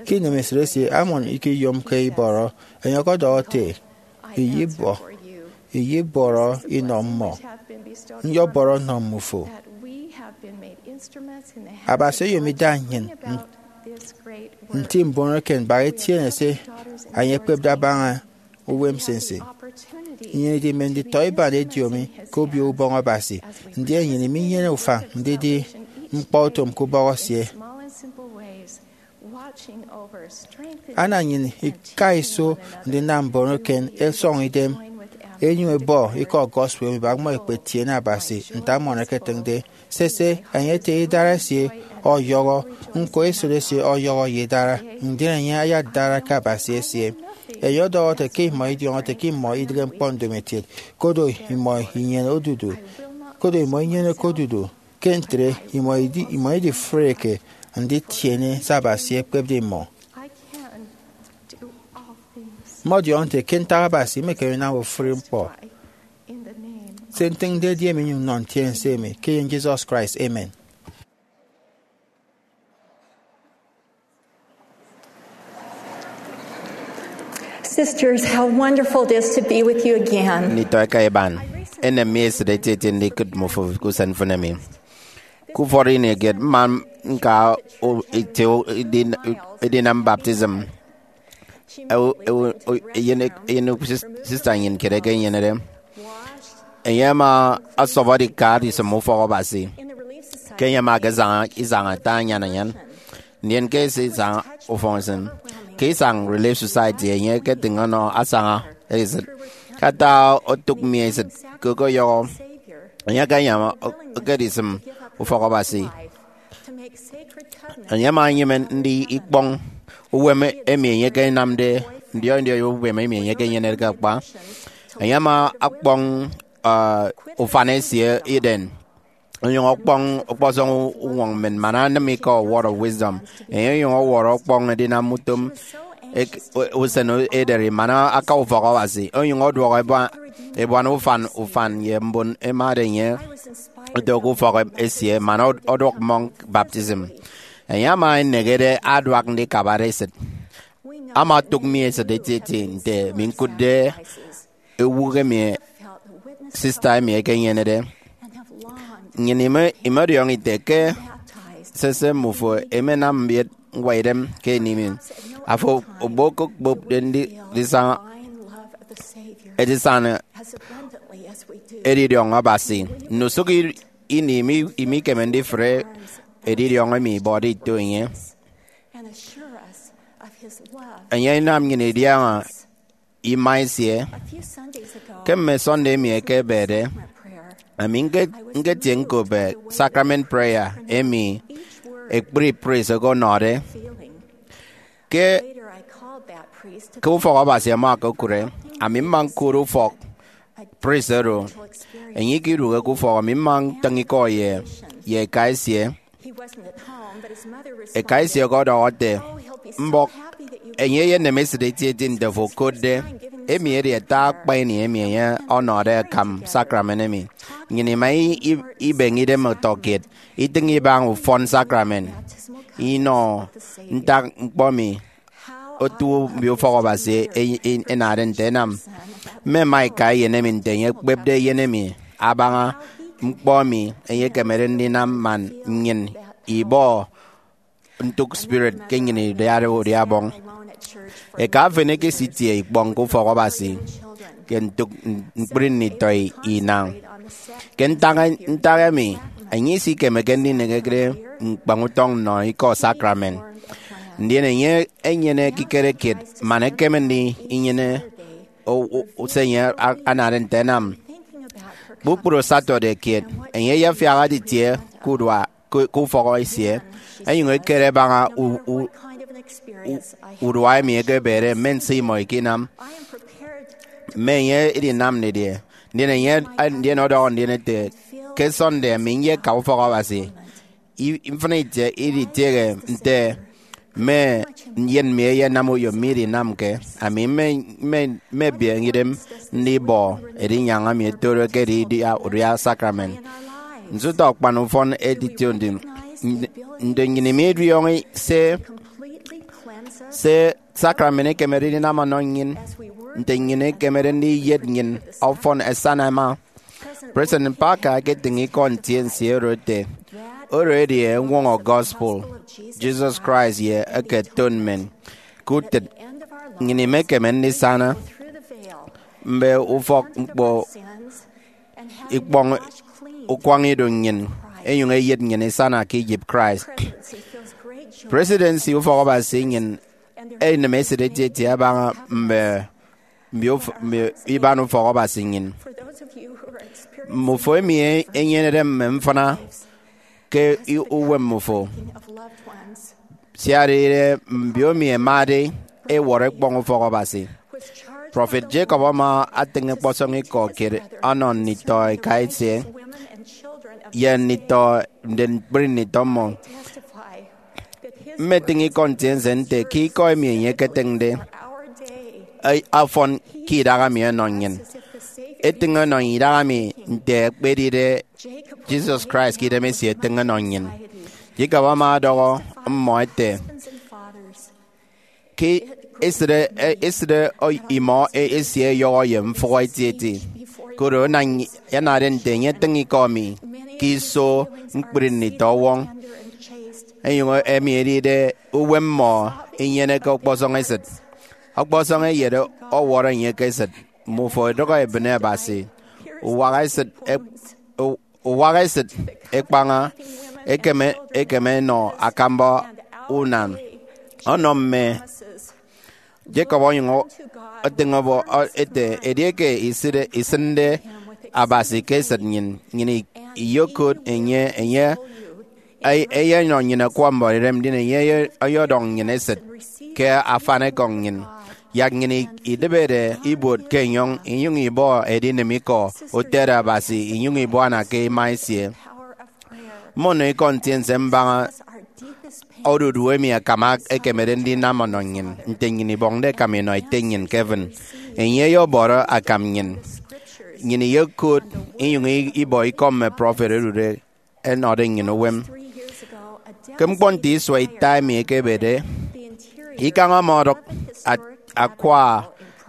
Ke inemesịt esie, Amọn ikiyomke ibọrọ. Enye ọkọdọhọ ete, iyibọ iyibọrọ inọ mmọ, nyọbọrọ nnọ mmufo. Abasi oyom ida nnyịn nti mbon eken baha etiene se enye ekpepde abaña uwem nsinsi. Nnyịn idime nditọiban ediomi ke Obio Ubọñ Abasi, ndien nnyịn iminyene ufañ ndidi ñkpọutom ke ubọhọ esie. Ana nnyịn ika iso ndinam mbon eken ẹsọñ idem, ẹnyụñ ẹbọ ikọ gospel emi bak mmọ ẹkpetiene Abasi nte Amọn eketịñde. Sese, enye ete idara esie ọyọhọ, ñko esịt esie ọyọhọ ye idara, ndien enye ayadara ke Abasi esie. Enye ọdọhọ ete ke imọ idiọñọ ete ke imọ idịghe ñkpọ ndomokiet, kodo imọ inyene odudu, kodo imọ inyeneke odudu. Ke ntre, imọ idi, imọ idifreke nditiene se Abasi ekpepde imọ. Mmọdiọñọ nte ke ntak Abasi imekeme inam ofụri ñkpọ. Se ntịñde edi emi, nyụñ nnọ ntiense emi ke eyen Jesus Christ. Amen. Sisters, how wonderful it is to be with you again. Nditọ eka iban, enem mi esịt etieti ndikụt mmufo ke usen mfịn emi. Ke ufọt ini kiet, mma ñka o- ete o- edin- edinam baptism. Ew- ew- o- eyen ek- eyen ek- sis- sista nnyịn kiet eke enyenede. Enye ama ọsọbọde ika adisịm ufọk Abasi. Ke enye ama akasaña isañ ata anyan anyan, ndien ke ese isañ ufọk nsịn. Ke isañ Relief Society, enye eketịñ ọnọ asaña esịt. Ke ata otụk mi esịt ke okoyọhọ, enye akañwam o- okedisịm ufọk Abasi. Enye ama enyịme ndi ikpọñ uwem emi enye ekenamde, ndiọi ndiọi uwem emi enye ekenyenede ke akpa. Enye ama ọkpọñ, uh, ufan esie Eden, onyụñ ọkpọñ ọkpọsọñ uñwọñ mmịn man anịm ikọ Word of Wisdom. Enye onyụñ ọwọrọ ọkpọñ edinam utom ek- usen ederi man aka ufọk Abasi, onyụñ ọduọk ebuan, ebuan ufan ufan ye mbon ẹmade enye ẹto ke ufọk esie man ọd- ọduọk mmọñ baptism. Enye ama enehede aduak ndikabade esịt. Ama otụk mi esịt etieti nte mi ñkụtde ewụk emi sista emi ekenyenede. Nnyịn ime- imọdiọñọ ite ke sese mmufo emenam mbiet ñwaidem ke ini mi. Afo okpokokpopde ndi- ndisaña edisana edidiọñ Abasi. Ndusụk i- ini imi- imikeme ndifre edidiọñ emi ibọde ito enye. Enye inam nnyịn idiaña ima esie. Ke mme Sunday emi ẹkebede, ami ñke- ñketie ñkop sacrament prayer emi ekpri priest oko ọnọde. Ke ke ufọk Abasi ama okokụre, ami mma ñkụt ufọk priest oro. Enye ikidụhe ke ufọk, ami mma ntịñ ikọ ye ye eka esie. Eka esie ọkọdọhọ ete, mbọk, enye eyeneme esịt etieti nte ofo okotde. Emi edi ata akpa ini emi enye ọnọde akam sacrament emi. Nnyịn ima i- i- ibeñe idem ọtọkiet, itịñ ibaña ufọn sacrament, inọ ntak ñkpọ emi otu mbio ufọk Abasi e- e- enade nte ẹnam. Mme ẹma ẹka eyen emi nte enye ekpepde eyen emi abaña ñkpọ emi enye ekemede ndinam man nnyịn ibọ ntụk spirit ke nnyịn idiade udia Ọbọñ. Eka efen ekesitie ikpọñ ke ufọk Abasi ke ntụk ñkpri nditọ inañ. Ke ntak, ntak emi, enye isikemeke ndineheke ñkpañ utọñ nnọ ikọ sacrament. Ndien enye enyene ekikere kiet man ekeme ndinyene o- o- se enye a- anade nte ẹnam. Kpukpru Saturday kiet, enye eyefiak aditie ke udua ke ke ufọk esie, ẹnyụñ ẹkere ẹbaña u- u- u- urua emi ekebede mme nse imọ ikinam. Mme enye idinam didie? Ndien enye ndien ọdọhọ ndien ete, ke Sunday ami nyeka ufọk Abasi. I- mfịna itie iditiehe nte mme eyen mi ẹyenam uyo mi idinamke. Ami mme- mme- mmebiaña idem ndibọ edinyaña mi ẹtoro ekedi idia udia sacrament. Nso utọ akpan ufọn edition ndi- ndi- nnyịn imidiọñọ se se sacrament ekemede ndinam ọnọ nnyịn, nte nnyịn ikemede ndiyet nnyịn ọfọn ẹsana ẹma. President Packer eketịñ ikọ ntiense oro ete, oro edi eñwọñọ gospel Jesus Christ ye eke atonement. Ke utịt, nnyịn imekeme ndisana mme ufọk ñkpọ ikpọñ ukwañ ido nnyịn, enyụñ eyet nnyịn isana ke iyịp Christ. Presidency ufọk Abasi nnyịn enem esịt etieti abaña mme mbio uf- mbio iban ufọk Abasi nnyịn. Mmufo emi e- enyenede mme mfịna ke i- uwem mmufo, siarire mbio emi ẹmade ẹwọrọ ẹkpọñ ufọk Abasi. Prọfet Jacob ama atịñ ọkpọsọñ ikọ kiet ọnọ nditọ eka esie ye nditọ nde ñkpri nditọ mmọ. Mmetịñ ikọ ntiense nte ke ikọ emi enye eketịñde ọfọn ke idaha mi ọnọ nnyịn, etịñ ọnọ idaha mi nte ekpedide Jesus Christ ke idemesie etịñ ọnọ nnyịn. Jacob ama ọdọhọ mmọ ete, ke esịt e- esịt e- imọ e- esie ọyọhọ ye mfụhọ etieti, koro ana- anade nte enye etịñ ikọ mi ke iso ñkpri nditọ ọwọñ, enyụñ emi edide uwem mmọ inyeneke ọkpọsọñ esịt. Ọkpọsọñ eyet ọwọrọ enye ke esịt, mmufo idụhe ebịne Abasi. Uwak esịt e- u- uwak esịt ekpaña, ekeme ekeme enọ akamba unan ọnọ mme. Jacob onyụñ etịñ ọbọ ete, edieke isịnde isịnde Abasi ke esịt nnyịn, nnyịn iyokot enye, enye eyenọ nnyịn akwa mbono idem, ndien enye ọyọdọñ nnyịn esịt ke afanikọñ nnyịn, yak nnyịn idịbede ibuot ke enyọñ, inyụñ ibọ edinịm ikọ utịt Abasi, inyụñ ibuana ke ima esie. Mmọnọ ikọ ntiense mbaña odudu emi akam ekemede ndinam ọnọ nnyịn, nte nnyịn ibọñde ẹkam inọ Ete nnyịn ke heaven. Enye ọyọbọrọ akam nnyịn. Nnyịn iyokot inyụñ ibọ ikọ mme prọfet ẹdude ẹnọde nnyịn uwem. Ke ñkpọ nte isua ita emi ekebede, ikañ ama ọdụk akwa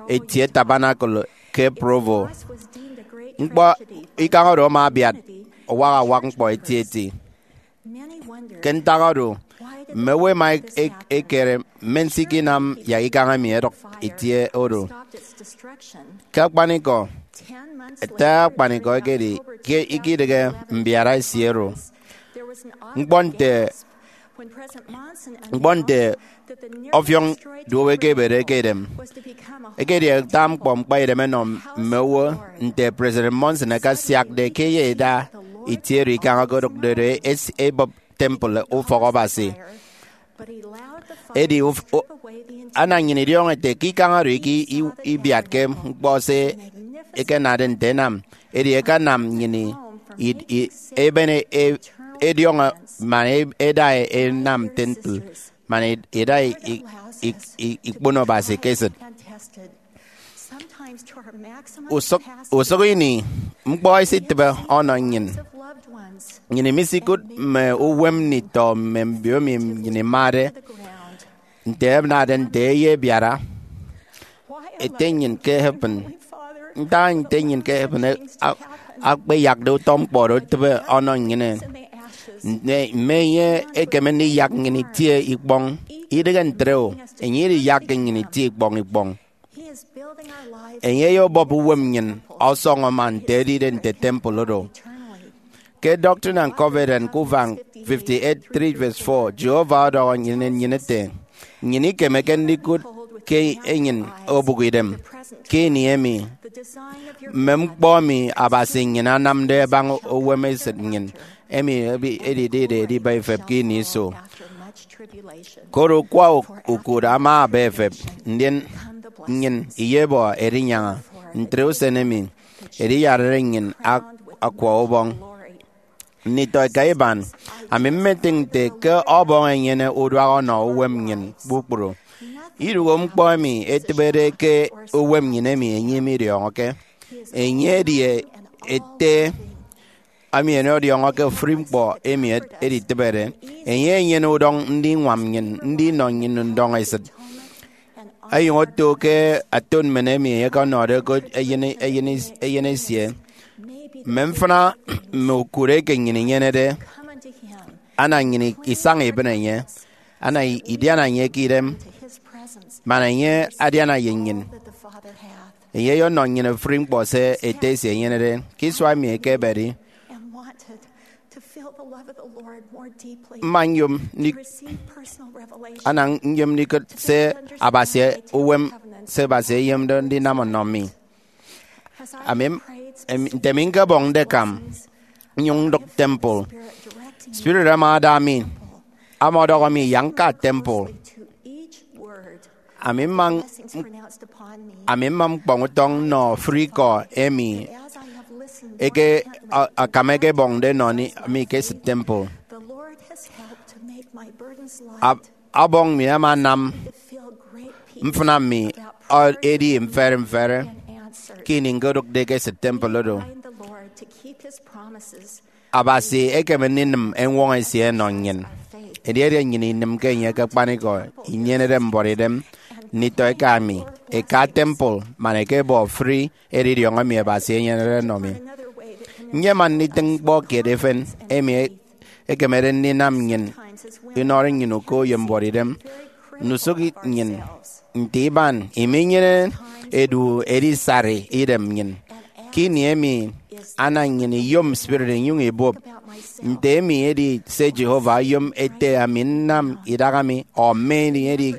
etie tabernacle ke Provo. Ñkpọ ikañ oro ama abiat awak awak ñkpọ etieti. Ke ntak oro, mme owo ẹma ẹkere mme nse ikinam yak ikañ emi ẹdụk etie oro. Ke akpanikọ, ete akpanikọ ekedi ke ikidịghe mbiara esie oro. Ñkpọ nte Ñkpọ nte ọfiọñ duowo eke ebede ke edem ekedi ata ñkpọ ñkpaidem ẹnọ mme owo. Nte President Monson akasiakde ke eya ida itie oro ikañ okodụkde do, es- ebọp temple ufọk Abasi. Edi uf- o- ana nnyịn idiọñọ ete ke ikañ oro iki- i- ibiatke ñkpọ se ẹkenade nte ẹnam, edi ẹkanam nnyịn i- i- i- eben e- ediọñọ man e- eda e- enam temple, man e- eda i- i- i- i- ikpono Abasi ke esịt. Usụk, usụk ini, ñkpọ esitịbe ọnọ nnyịn. Nnyịn misikụt mme uwem nditọ mme mbiomi nnyịn imade. Nte ẹnade nte eya ebiara, Ete nnyịn ke heaven, ntak Ete nnyịn ke heaven a- akpeyakde utọ ñkpọ oro etịbe ọnọ nnyịn? Mme enye ekeme ndiyak nnyịn itie ikpọñ? Idịghe ntre o, enye idiyakke nnyịn itie ikpọñ ikpọñ. Enye eyebọp uwem nnyịn ọsọñọ man nte edide nte temple oro. Ke Doctrine and Covenants ke ufañ fifty-eight three verse four, Jehovah ọdọhọ nnyịn, nnyịn ete, nnyịn ikemeke ndikụt ke enyịn obụk idem ke ini emi mme ñkpọ emi Abasi nnyịn anamde abaña uwem esịt nnyịn, emi edidide ediba ifep ke ini iso. Koro ukwa ukụt ama aba efep, ndien nnyịn iyebọ erinyaña. Ntre usen emi ediyarare nnyịn ak- akwa ubọñ. Nditọ eka iban, ami mmetịñ nte ke Ọbọñ enyene uduak ọnọ uwem nnyịn kpukpru. Idụhe ñkpọ emi etịbede ke uwem nnyịn emi enye midiọñọke. Enye edi Ete emi enye ọdiọñọke ofụri ñkpọ emi editịbede. Enye enyene udọñ ndiñwam nnyịn, ndinọ nnyịn ndọñesịt. Ẹyụñ oto ke aton mmen emi enye ọkọnọde ke eyen, eyen, eyen esie. Mme mfịna mme ukụre eke nnyịn inyenede, ana nnyịn isaña ibịne enye, ana idiana enye ke idem, man enye adiana ye nnyịn. Enye eyọnọ nnyịn ofụri ñkpọ se Ete esie enyenede. Ke isua emi ekebede, mma nyom ndik- ana nyom ndikụt se Abasi, uwem se Abasi eyomde ndinam ọnọ mi. Ami, em, nte mi ñkebọñde akam, nnyụñ ndụk temple, Spirit ama ada mi, ama ọdọhọ mi yak ñka temple. Ami mma, ami mma ñkpọñ utọñ nnọ ofụri ikọ emi eke, a- akam ẹkebọñde ẹnọ ni- mi ke esịt temple. Ab- Ọbọñ mi ama anam mfịna mi ọ- edi mfere mfere ke ini ñkodụkde ke esịt temple oro. Abasi ekeme ndinịm eñwọñọ esie ẹnọ nnyịn. Edieke nnyịn inịmke enye ke akpanikọ, inyenede mbuọtidem, nditọ eka mi, eka temple, man ẹkebọ ofụri edidiọñ emi Abasi enyenede ẹnọ mi. Nyema nditịñ ñkpọ kiet efen emi ekemede ndinam nnyịn inọrọ nnyịn uko ye mbuọtidem. Ndusụk nnyịn nte iban iminyene edu edisari idem nnyịn. Ke ini emi, ana nnyịn iyom spirit inyụñ ibụp. Nte emi edi se Jehovah oyom ete ami nnam idaha mi, ọ mme ini edi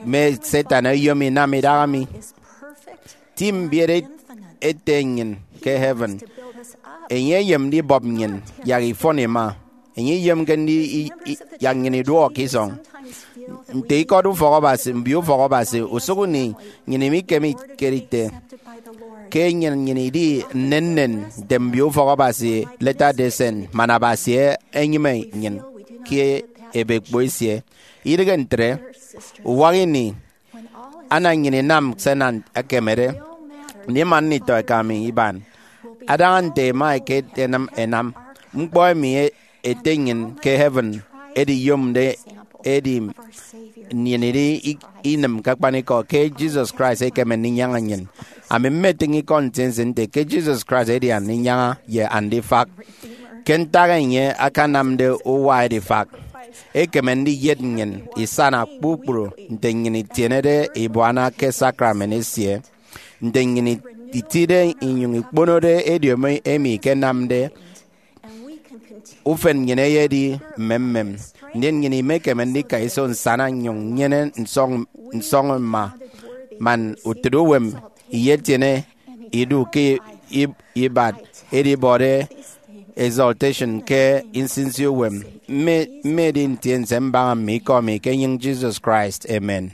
mme Satan oyom inam idaha mi? Ti mbiet ete nnyịn ke heaven. Enye eyem ndibọp nnyịn yak ifọn ima. Enye iyomke ndi i- i- yak nnyịn iduọk ke isọñ. Nte ikọt ufọk Abasi, mbio ufọk Abasi, usụk ini nnyịn imikeme ikerite ke nnyịn nnyịn idi nnennen nte mbio ufọk Abasi Latter-day Saint, man Abasi enyịme nnyịn ke ebekpo esie. Idịghe ntre, uwak ini, ana nnyịn inam se Satan ekemede ndima nditọ eka mi iban. Adaña nte ẹma ẹkenam ẹnam, ñkpọ emi e- ete nnyịn ke heaven ediyomde edi nnyịn idi i- inịm ke akpanikọ ke Jesus Christ ekeme ndinyaña nnyịn. Ami mmetịñ ikọ nsinsi nte ke Jesus Christ edi Andinyaña ye Andifak. Ke ntak enye akanamde uwa edifak, ekeme ndiyet nnyịn isana kpukpru nte nnyịn itienede ibuana ke sacrament esie, nte nnyịn itide inyụñ ikponode ediomi emi ikenamde ufen nnyịn eyedi mmemmem. ndien nnyịn imekeme ndika iso nsana nnyụñ nnyene nsọñ, nsọñ mma, man utịt uwem iyetiene idu ke ib-, ibat edibọde exaltation ke nsinsi uwem. Mme, mme edi ntiense mbaña mme ikọ mi ke enyịñ Jesus Christ. Amen.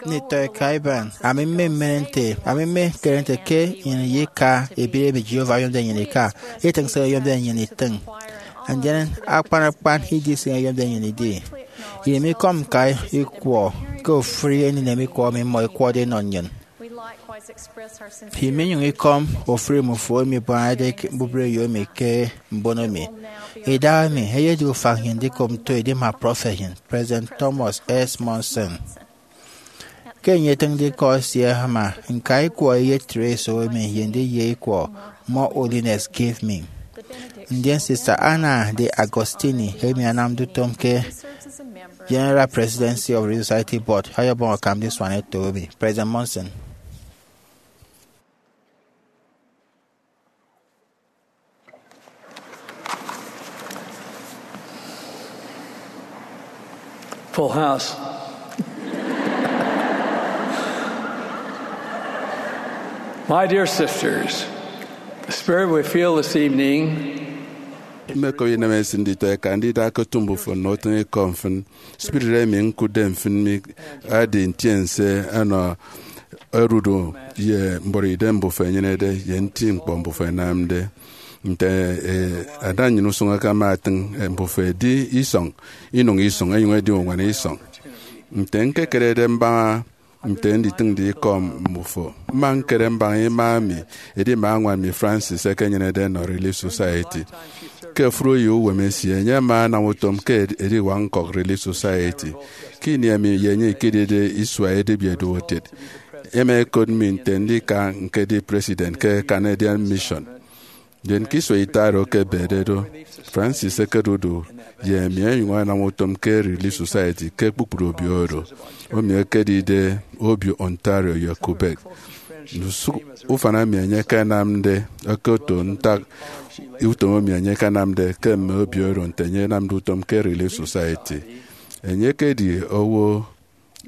Nditọ eka iban, ami mmemen nte, ami mmekere nte ke nnyịn iyeka ebierebiet Jehovah oyomde nnyịn ika, itịñ se oyomde nnyịn itịñ, ndien akpan akpan idi se oyomde nnyịn idi. Iyem ikọm ñka ikwọ ke ofụri eninem ikwọ emi mmọ ẹkwọde ẹnọ nnyịn. Imenyụñ ikọm ofụri mmufo emi ẹbañade ke mbubreyo emi ke mbono mi. Idahaemi eyedi ufañ nnyịn ndikop nto edima prọfet nnyịn, President Thomas S. Monson. Ke enye etịñde ikọ esie ama ñka ikwọ eyet Therese emi ye ndiye ikwọ More Holiness Give Me. Ndien Sista Anna de Agostini emi anamde utom ke General Presidency of Relief Society Board ọyọbọñ akam ndisuan eto emi. President Monson. Full house. My dear sisters, the spirit we feel this evening. Mmekọm inemesịt nditọeka, ndida ke otu mbufo nnọ utịñikọ mfịn. Spirit emi ñkụtde mfịn mi edi ntiense ọnọ odudu ye mbọrọidem mbufo ẹnyenede ye nti ñkpọ mbufo ẹnamde. Nte eh, ada nnyịn usụñ akama atịñ, eh, mbufo ẹdi isọñ, inyụñ isọñ, ẹnyụñ ẹdi uñwana isọñ. Nte ñkekerede mbaña nte nditịñde ikọ mbufo, mma ñkere mbaña ima mi, edi mme añwan mi Francis ẹkenyenede ẹnọ Relief Society. Ke ofụri uyo uwem esie, enye ama anam utom ke ed- ediwak ñkọk Relief Society. Ke ini emi ye enye ikedide isua edịbi eduokiet, ẹma ẹkot mi nte ndika ñkedi president ke Canadian Mission. Ndien ke isua ita oro ke ebede do, Francis ekedudu ye emi ẹnyụñ ẹnam utom ke Relief Society ke kpukpru obio oro, emi ekedide obio Ontario ye Quebec. Ndusụk ufan emi enye akanamde okoto ntak utom emi enye akanamde ke mme obio oro nte enye enamde utom ke Relief Society. Enye ekedi owo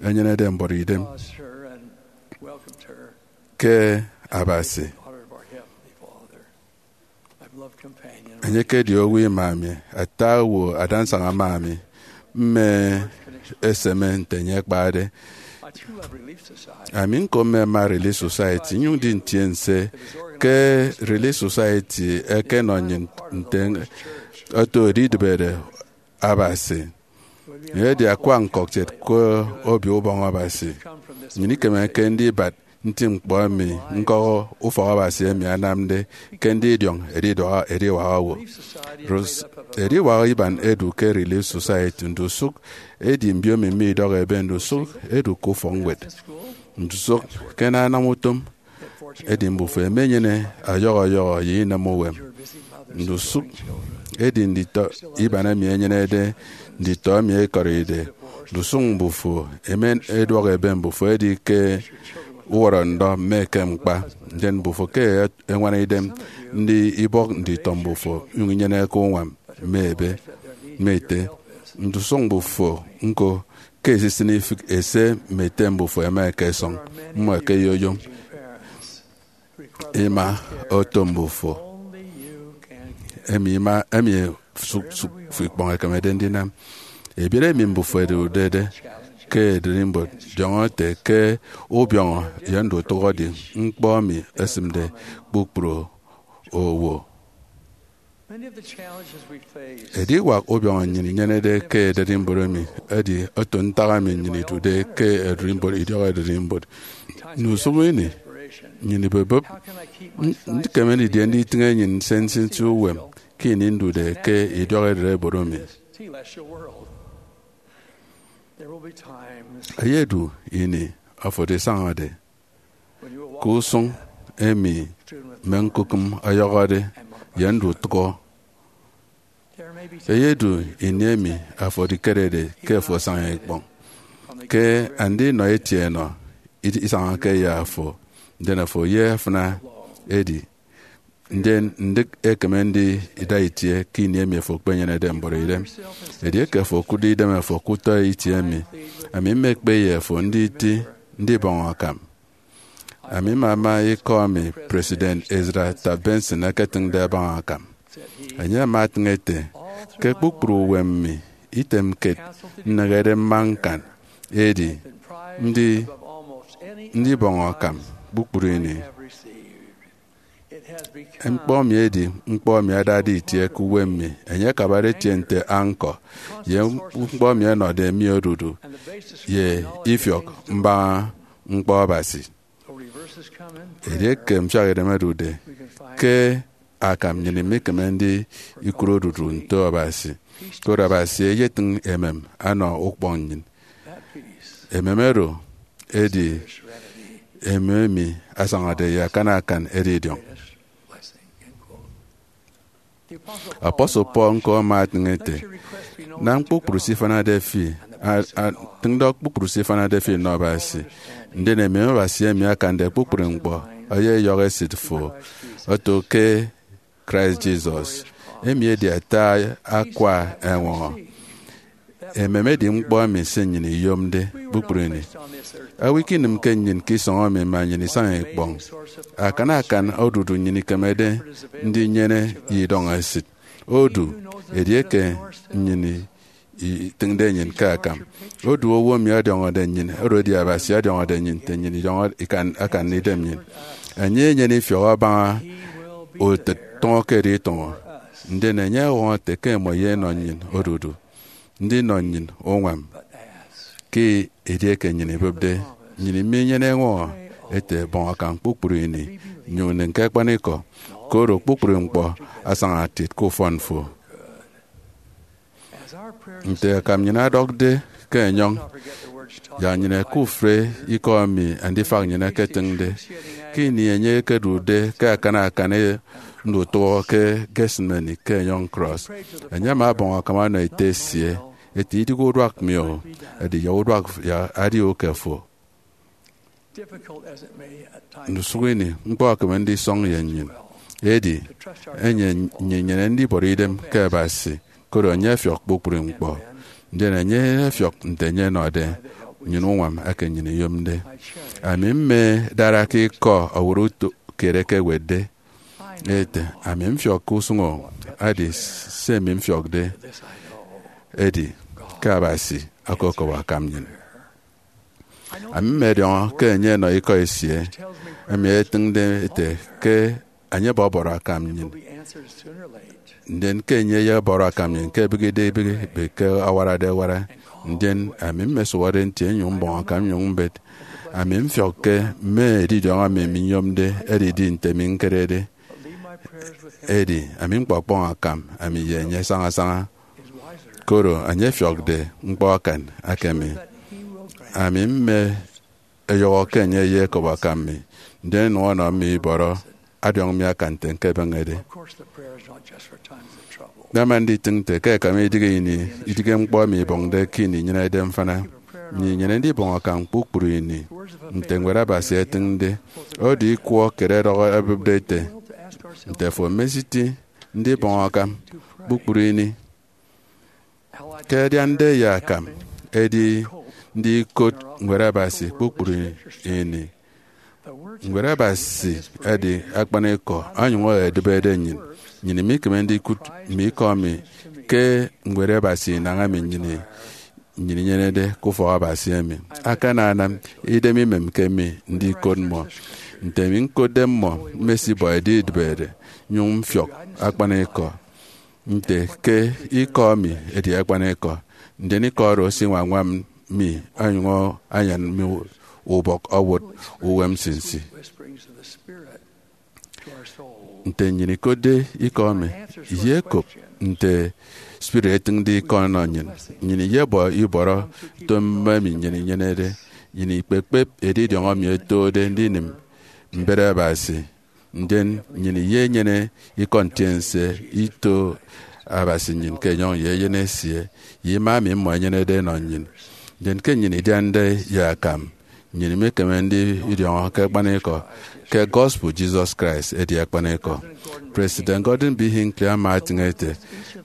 enyenede mbọrọidem ke Abasi. Enye ekedi owo ima mi, ata owo adansaña ama mi, mme eseme nte enye akpade. Ami ñko mmema Relief Society, nnyụñ ndi ntiense ke Relief Society ẹkenọ nnyịn nte oto edidịbede Abasi. Edi akwa ñkọkiet ke Obio Ubọñ Abasi. Nnyịn ikemeke ndibat nti ñkpọ emi ñkọk ufọk Abasi emi anamde ke ndidiọñ ediduak ediwak owo. Rus- ediwak iban edu ke Relief Society, ndusụk edi mbiomi mme idọk ebe, ndusụk edu ke ufọkñwed, ndusụk ke anam utom. Edi mbufo ẹmenyene ọyọhọ ọyọhọ ye inam uwem. Ndusụk edi nditọ iban emi ẹnyenede nditọ emi ẹkọride. Ndusụk mbufo ẹmen eduọk ebe, mbufo ẹdi ke uwọrọ ndọ mme ekem ñkpa. Ndien mbufo ke ẹñwana idem ndi ibọk nditọ mbufo, inyụñ inyeneke uñwam mme ebe mme ete. Ndusụk mbufo ñko ke esisịn ifịk ese mme ete mbufo ẹma ẹkesọñ, mmọ ẹkeyoyom ima oto mbufo emi ima emi sụk sụk fo ikpọñ ekemede ndinam. Ebiet emi mbufo ẹdụkde ke ererimbot, diọñọ ete ke ubiọñọ ye ndutụk edi ñkpọ emi esịmde kpukpru owo. Ediwak ubiọñọ nnyịn inyenede ke ererimbot emi edi oto ntak emi nnyịn idude ke ererimbot, idiọk ererimbot. Ndusụk ini nnyịn ibebep, "Ndikeme didie nditịñ enyịn nsinsi uwem ke ini ndude ke idiọk ererimbot emi?" Eyedu ini ofụri isañade ke usụñ emi mme ñkukịm ọyọhọde ye ndutụk. Eyedu ini emi afo edikerede ke afo asaña ikpọñ. Ke andinọ etienọ, isañake ye afo, ndien afo ye afịna edi. Ndien ndịk ekeme ndida itie ke ini emi afo ekpenyenede mbọrọidem. Edieke afo okụtde idem afo ke utọ itie emi, ami mmekpe ye afo nditi ndibọñ akam. Ami mmama ikọ emi President Ezra Taft Benson eketịñde abaña akam. Enye ama etịñ ete, "Ke kpukpru uwem mi, item kiet nnehede mma ñkan, edi ndi ndibọñ akam kpukpru ini." Ñkpọ mi edi ñkpọ emi adade itie ke uwem mi. Enye akabade etie nte anchor ye ñkpọ emi ẹnọde mi odudu ye ifiọk mbaña ñkpọ Abasi. Edieke mfiak idem ẹdude ke akam, nnyịn imekeme ndikụre odudu nto Abasi. Koro Abasi eyetịñ emem anọ ukpọñ nnyịn. Emem oro edi emi emi asañade ye akan akan edidiọñ. Apostle Paul ñko ama atịñ ete, nam kpukpru se ifanade fi, a- a- tịñ ndọk kpukpru se ifanade fi nnọ Abasi, ndien emem Abasi emi akande kpukpru ñkpọ eyeyọhọ esịt fo, oto ke Christ Jesus, emi edi ata akwa eñwọñọ. Emem edi ñkpọ emi se nnyịn iyomde kpukpru ini. Owo ikinịmke nnyịn ke isọñ emi mme nnyịn isaña ikpọñ. Akan akan odudu nnyịn ikemede ndinyene ye idọñ esịt. Odu, edieke nnyịn itịñde nnyịn ke akam, odu owo emi ọdiọñọde nnyịn, oro edi Abasi, ọdiọñọde nnyịn nte nnyịn idiọñọ ikan akan idem nnyịn. Enye enyene ifiọk abaña utịt tụñọ ke editụñọ, ndien enye ọwọñọ ete ke imọ ye inọ nnyịn odudu, ndinọ nnyịn uñwam. Ke edieke nnyịn ibịpde, nnyịn minyene eñwọñọ ete, bọñ akam kpukpru ini, nyụñ nịm ke akpanikọ, koro kpukpru ñkpọ asaña tit ke ufọn fo. Nte akam nnyịn ọdọkde ke enyọñ, yak nnyịn ẹkufre ikọ emi andifak nnyịn ẹketịñde. Ke ini enye ekedude ke akan akan ndutụhọ ke Gethsemane ke enyọñ cross, enye ama ọbọñ akam ọnọ ete esie, ete, idighe uduak mi o, edi ya uduak ya adia uke fo. Ndusụk ini ñkpọ ekeme ndisọñ ye nnyịn, edi enye nnyịn inyene ndibọrọ idem ke Abasi, koro enye efiọk kpukpru ñkpọ, ndien enye efiọk nte enye enọde nnyịn uñwam eke nnyịn iyomde. Ami mme dara ke ikọ ọwọrọ uto kiet eke ewetde ete, ami mfiọk ke usụñ o, edi se mi mfiọkde edi ke Abasi okokop akam nnyịn. Ami mmọdiọñọ ke enye enọ ikọ esie emi etịñde ete ke enye ọbọbọrọ akam nnyịn, ndien ke enye eyebọrọ akam nnyịn ke ebịghide ebịghi, ebe ke awarade awara, ndien ami mmesụhọde nti nyụñ mbọñ akam nyụñ mbet. Ami mfiọk ke mme edidiọñ emi minyomde ẹdidi nte mi ñkerede. Edi ami ñkpọkpọñ akam ami ye enye sañasaña, koro enye efiọkde ñkpọ akan aka mi. Ami mme eyọhọ ke enye eyekop akam mi, ndien nọ ọnọ mi ibọrọ adiọñ mi akan nte ñkebeñede. Nama nditịñ nte ke ẹkam idịghe ini, idịghe ñkpọ emi ibọñde ke ini inyenede mfana. Nnyịn inyene ndibọñ akam kpukpru ini, nte Ñwed Abasi etịñde. Odu ikwọ kiet ẹdọhọ ẹbụpde ete, nte fo mesiti ndibọñ akam kpukpru ini? Ke adiande ye akam edi ndikot Ñwed Abasi kpukpru ini. Ñwed Abasi edi akpanikọ, onyụñ edịbede nnyịn. Nnyịn imikeme ndikụt mme ikọ emi ke Ñwed Abasi inañ emi nnyịn nnyịn inyenede ke ufọk Abasi emi. Akananam idem imemke mi ndikot mmọ. Nte mi ñkotde mmọ, mmesibọ edidịbede, nyụñ mfiọk akpanikọ nte ke ikọ mi edi akpanikọ, ndien ikọ oro esiñwañwam mi onyụñ anyan mi ubọk owụt uwem nsinsi. Nte nnyịn ikotde ikọ emi, iyekop nte spirit etịñde ikọ ọnọ nnyịn. Nnyịn iyebọ ibọrọ utom mme emi nnyịn inyenede. Nnyịn ikpekpep edidiọñ emi otode ndinịm mbet Abasi, ndien nnyịn iyenyene ikọ ntiense ito Abasi nnyịn ke enyọñ ye Eyen esie, ye ima emi mmọ ẹnyenede ẹnọ nnyịn. Ndien ke nnyịn idiande ye akam, nnyịn imikeme ndidiọñọ ke akpanikọ ke gospel Jesus Christ edi akpanikọ. President Gordon B. Hinckley ama etịñ ete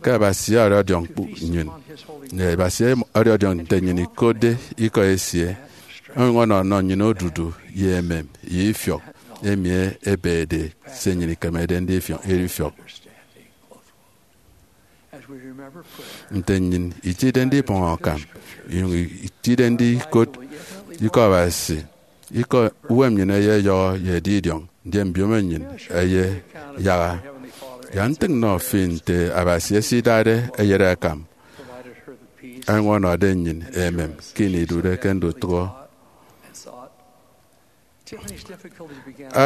ke Abasi ọdiọk nnyịn, Abasi ọdiọk nte nnyịn ikotde ikọ esie, onyụñ ọnọ nnyịn odudu ye emem ye ifiọk emi ebede se nnyịn ikemede ndifiọk. Nte nnyịn itide ndibọñ akam, inyụñ itide ndikot ikọ Abasi, ikọ uwem nnyịn eyeyọhọ ye edidiọñ, ndien mbiomo nnyịn eyeyaha. Yak ntịñ nnọ fi nte Abasi esidade eyet akam, onyụñ ọnọde nnyịn emem ke ini idude ke ndutụhọ.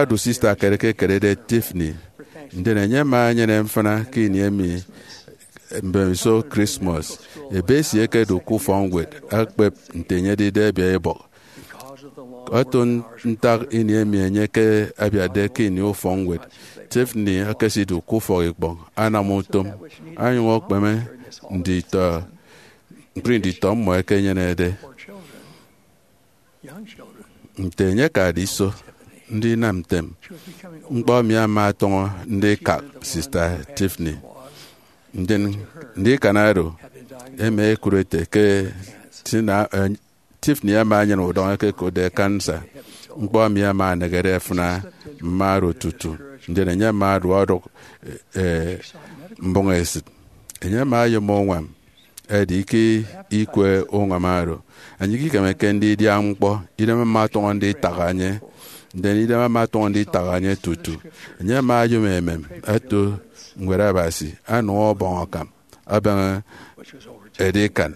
Odu sista kiet eke ekerede Tiffany, ndien enye ama enyene mfịna ke ini emi mbemiso Christmas. Ebe esie ẹkedu ke ufọkñwed ẹkpep nte enye edide ebiaibọk. Otu ntak ini emi enye ke abiatde ke ini ufọkñwed Tiffany ekesidu ke ufọk ikpọñ anam utom, anyụñ okpeme nditọ ñkpri nditọ mmọ ẹkenyenede. Nte enye akade iso ndinam ntem, ñkpọ emi ama ọtọñọ ndikak Sista Tiffany. Ndien ndikan oro, emi ẹkụt ete ke Tina, eh, Tiffany ama enyene udọñ eke ẹkotde kansa. Ñkpọ emi ama enehede ẹfịna mme oro tutu, ndien enye ama ọduọ odụk, eh, mbụñ esịt. Enye ama oyom uñwam, edi ke ikwe uñwam oro, enye ikikemeke ndidia ñkpọ, idem ama ọtọñọ nditak enye. Ndien idem ama ọtọñọ nditak enye tutu. Enye ama oyom emem oto Ñwed Abasi, anam ọbọñ akam, abaña edikan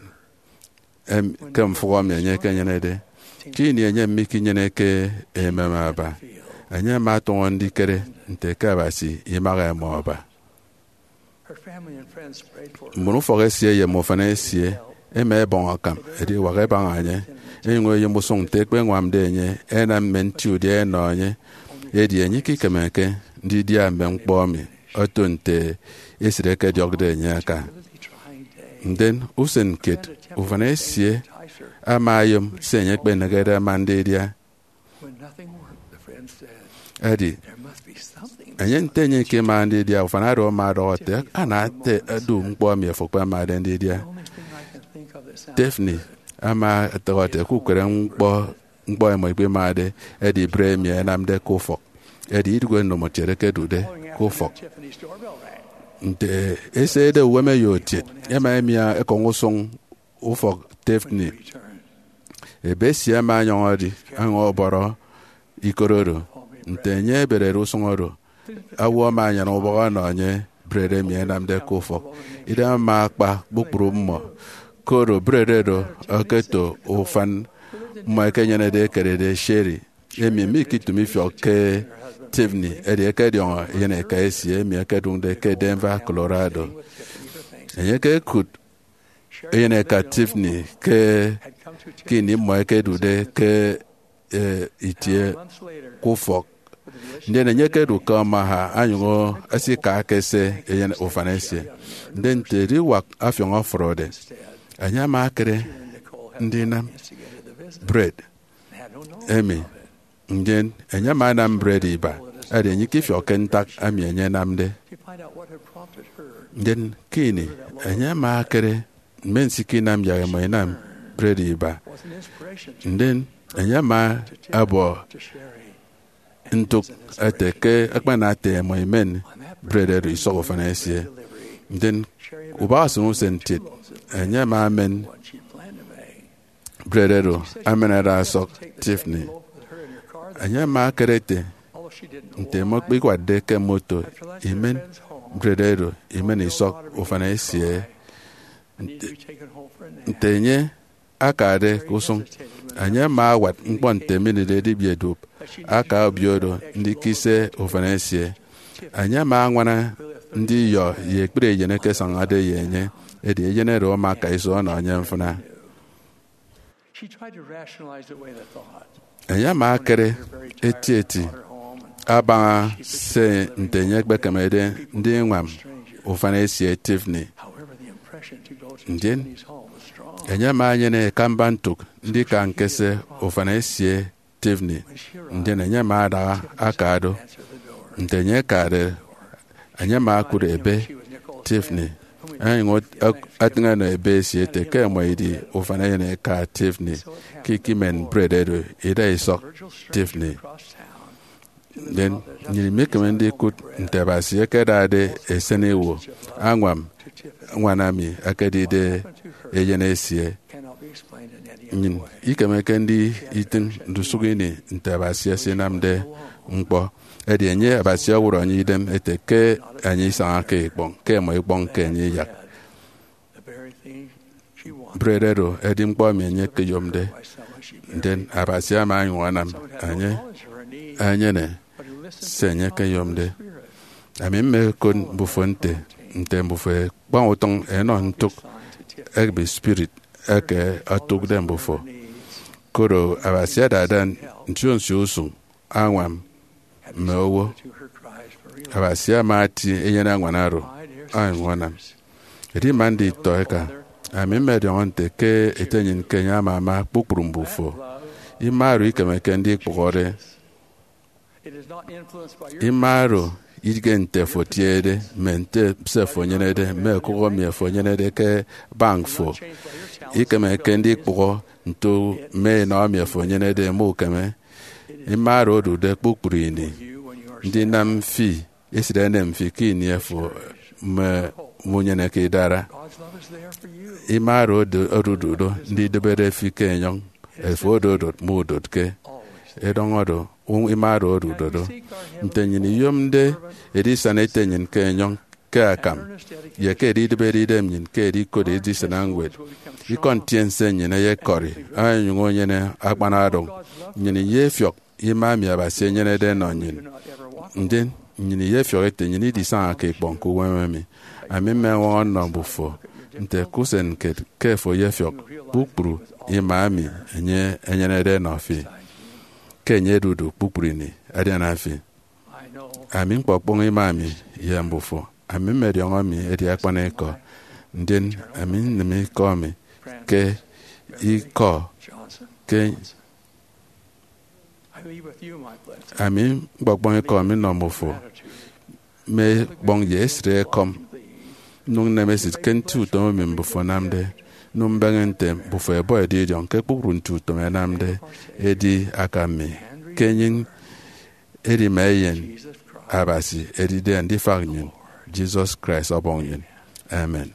em, ke mfụhọ emi enye ekenyenede. Ke ini enye mikinyeneke emem aba, enye ama ọtọñọ ndikere nte ke Abasi imaha imọ aba. Mbon ufọk esie ye mme ufan esie ẹma ẹbọñ akam ediwak ẹbaña enye, ẹnyụñ ẹyom usụñ nte ẹkpeñwamde enye ẹnam mme nti udia ẹnọ enye. Edi enye ikikemeke ndidia mme ñkpọ emi oto nte esịt ẹkediọkde enye aka. Ndien usen kiet, ufan esie ama oyom se enye ekpenehede ama ndidia. Edi enye, nte enye ikemaha ndidia, ufan oro ama ọdọhọ ete, "Ana ete edu ñkpọ emi afo ekpemade ndidia." Tiffany ama ọdọhọ ete, "Ke ukere ñkpọ, ñkpọ emi ikpemade edi bred emi ẹnamde ke ufọk, edi idụhe ndomokiet ekedude ke ufọk." Nte eseide uwem eyo otiet, ẹma ẹmia ekọñ usụñ ufọk Tiffany. Ebe esie ama ọnyọñ edi, anyụñ ọbọrọ ikot oro. Nte enye eberede usụñ oro, owo ama anyana ubọk ọnọ enye bred emi ẹnamde ke ufọk. Idem ama akpa kpukpru mmọ, koro bred oro okoto ufan mmọ ẹkenyenede ekededi sherry, emi mikitụm ifiọk ke Tiffany, edi ẹkediọñọ eyen eka esie emi ẹkedụñde ke Denver, Colorado. Enye ekekụt eyen eka Tiffany ke, ke ini mmọ ẹkedude ke, eh, itie ke ufọk. Ndien enye ekedu ke Omaha, anyụñ esika ke se eyen ufan esie. Ndien nte ediwak afiọñ ọfọrọde, enye ama ekere ndinam bred emi. Ndien enye ama anam bred iba, edi enye ikifiọkke ntak emi enye enamde. Ndien ke ini enye ama ekere mme nsikinam yak imọ inam bred iba, ndien enye ama ọbọ ntụk ete ke akpana ata imọ imen bred oro isọk ufan esie. Ndien ubak usụñ usen kiet, enye ama emen bred oro emenede ọsọk Tiffany. Enye ama ekere ete, nte imọ ikpikwadde ke moto, imen bred oro imen isọk ufan esie. Nte, nte enye akade ke usụñ, enye ama awat ñkpọ nte eminịde edibiedup aka obio oro ndikise ufan esie. Enye ama añwana ndiyọ ye ekpri eyen eke asañade ye enye, edi eyen oro ama aka iso ọnọ enye mfịna. Enye ama ekere etieti abaña se nte enye ekpekemede ndiñwam ufan esie Tiffany. Ndien enye ama enyene ekamba ntụk ndika ñkese ufan esie Tiffany. Ndien enye ama adaha aka do. Nte enye akade, enye ama okụt ebe Tiffany, anyụñ ot-, ak-, atịñ ọnọ ebe esie ete ke imọ idi ufan eyen eka Tiffany, ke ikimen bred oro ida isọk Tiffany. Ndien nnyịn imekeme ndikụt nte Abasi ekedade esen iwo añwam ñwan emi ekedide eyen esie. Nnyịn ikemeke nditịñ ndusụk ini nte Abasi esinamde ñkpọ. Edi enye, Abasi ọwọrọ enye idem ete ke enye isañake ikpọñ, ke imọ ikpọñke enye iyak. Bred oro edi ñkpọ emi enye ekeyomde, ndien Abasi ama onyụñ anam enye enyene se enye ekeyomde. Ami mmekot mbufo nte, nte mbufo ekpañ utịñ ẹnọ ntụk ebe spirit eke otụkde mbufo. Koro Abasi adada nsio nsio usụñ añwam mme owo. Abasi ama ati enyene añwan oro, onyụñ anam. Edi ima nditọ eka, ami mmediọñọ nte ke eteñin ke enye ama ama kpukpru mbufo. Ima oro ikemeke ndikpụhọde. Ima oro idighe nte fo etiede, mme nte se fo enyenede, mme okụk emi fo enyenede ke bank fo. Ikemeke ndikpụhọ nto mme enọ emi fo enyenede, mme ukeme. Ima oro odude kpukpru ini ndinam fi esịt enem fi ke ini fo mme munyeneke idara. Ima oro odu-, odude do ndidịbede fi ke enyọñ, efo ododot mme udot ke edọñọ do, u-, ima oro odude do. Nte nnyịn iyomde edisana eteñin ke enyọñ ke akam, ye ke edidịbede idem nnyịn ke edikot edisana ñwed, ikọ ntiense nnyịn eyekọri, onyụñ onyene akpan adụñ. Nnyịn iyefiọk ima emi Abasi enyenede enọ nnyịn. Ndien nnyịn iyefiọk ete nnyịn idisañake ikpọñ ke uwem emi. Ami mmeñwọñọ nnọ mbufo nte ke usen kiet ke fo eyefiọk kpukpru ima emi enye enyenede enọ fi, ke enye edudu kpukpru ini adiana fi. Ami ñkpọkpọñ ima mi ye mbufo. Ami mmediọñọ mi edi akpanikọ, ndien ami nnịm ikọ mi ke ikọ ke ami ñkpọkpọñ ikọ mi nnọ mbufo, mme ikpọñ ye esịt ekọm. Nnyụñ nneme esịt ke nti utom emi mbufo ẹnamde. Nnyụñ mbeñe nte mbufo ẹbọ edidiọñ ke kpukpru nti utom ẹnamde. Edi akam mi ke enyịñ edima eyen Abasi edide Andifak nnyịn, Jesus Christ Ọbọñ nnyịn. Amen.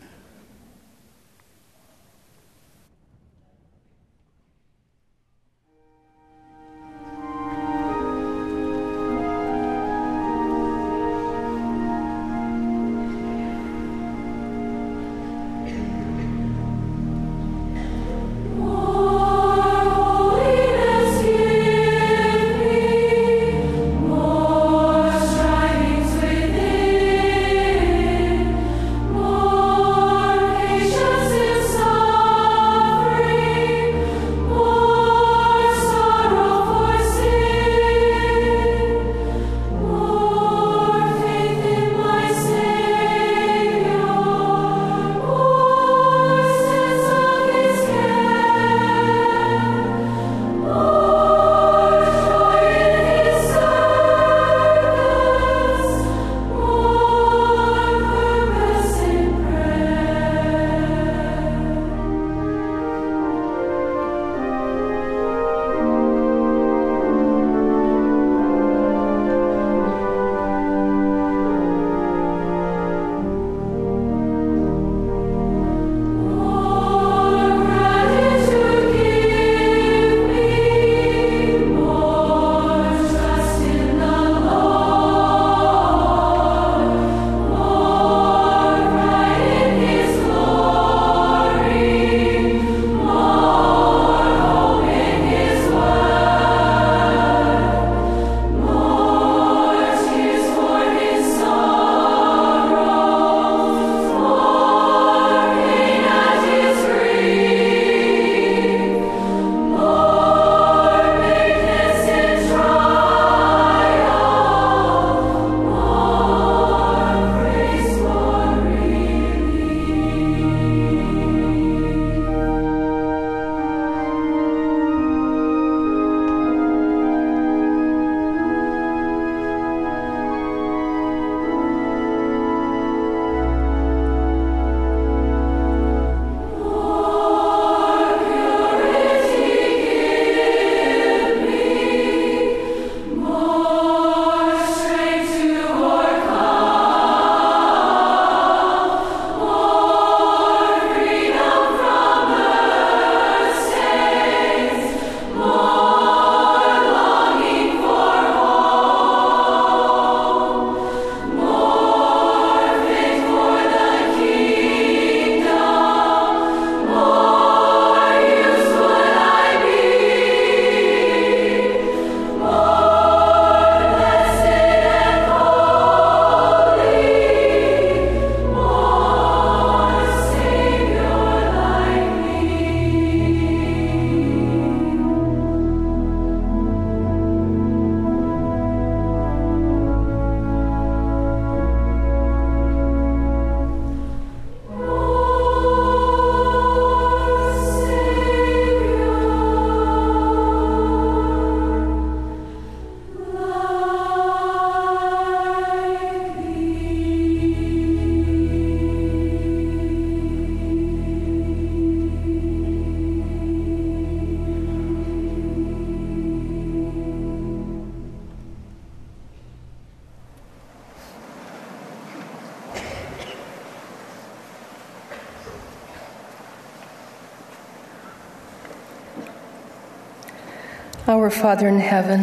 Our Father in heaven,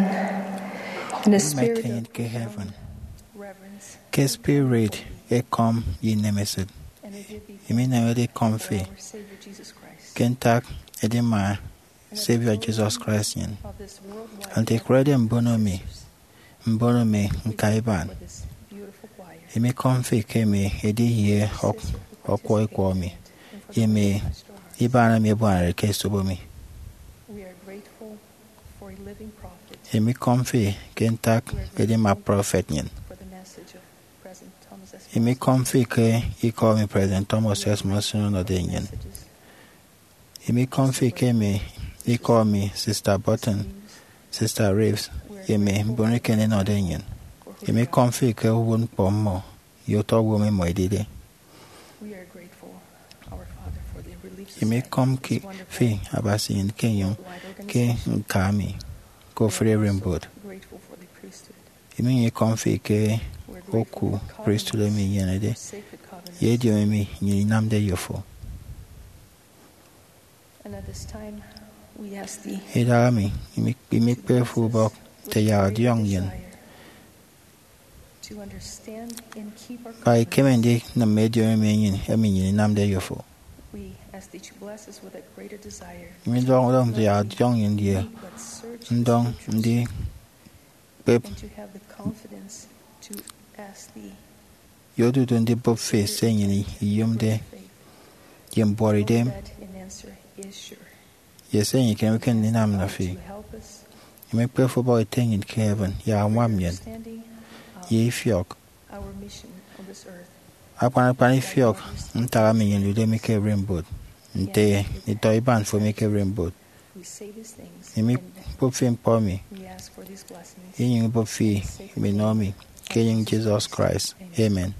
in a spirit of ke heaven, reverence, ke spirit ekọm ye inemesịt, emi inemede ikọm fi, our Savior Jesus Christ, ke ntak edima Savior Jesus Christ nyin, of this worldwide ante ikurede mbono mi, mbono mi ñka iban. Emi ikọm fi ke emi edi ye ọk-, ọkwọ ikwọ mi, ye emi iban emi ebuanare ke esobo mi. We are grateful for a living prophet. Emi ikọm fi ke ntak edima prọfet nyin. For the message of President Thomas S. Emi ikọm fi ke ikọ emi President Thomas S. Monson ọnọde nyin. Emi ikọm fi ke emi ikọ emi Sister Burton, Sister Reeves, ye emi mbon eken ẹnọde nyin. Emi ikọm fi ke uwụtñkpọ mmọ ye utọ owo emi mmọ ẹdide. We are grateful, our Father, for the Relief Emi Society, ikọm ke fi Abasi nyin ke enyọñ ke ñka mi ke ofụri ererimbot. Grateful for the priesthood. Emi inyụñ ikọm fi ke oku priesthood emi inyenede, ye ediomi emi nyin inamde ye ofo. And at this time, we ask thee, Idaha emi, imi, imikpe fi ubọk, te yak ọdiọñ nyin. To understand and keep our Kpa ikeme ndinịm ediomi emi nyin, emi nyin inamde ye ofo. We ask thee to bless us with a greater desire. Imi ndọñ, ndọñ te yak ọdiọñ nyin ye ndọñ ndi kpep and to have the confidence to ask thee ye odudu ndibụp fi se nnyịn iyomde ye mbuọtidem, that an answer is sure. Ye se nnyịn ikemeke ndinam nnọ fi. To help us Imikpe fi ubọk ite nnyịn ke heaven, yak añwam nnyịn understanding of ye ifiọk. Our mission on this earth. Akpan akpan ifiọk ntak emi nnyịn odude mi ke ererimbot, nte itọ iban fo mi ke ererimbot. We say these things Imi kpop fi ñkpọ mi, we ask for these blessings inyụñ ibụp fi minọ mi ke enyịñ Jesus Christ. Amen.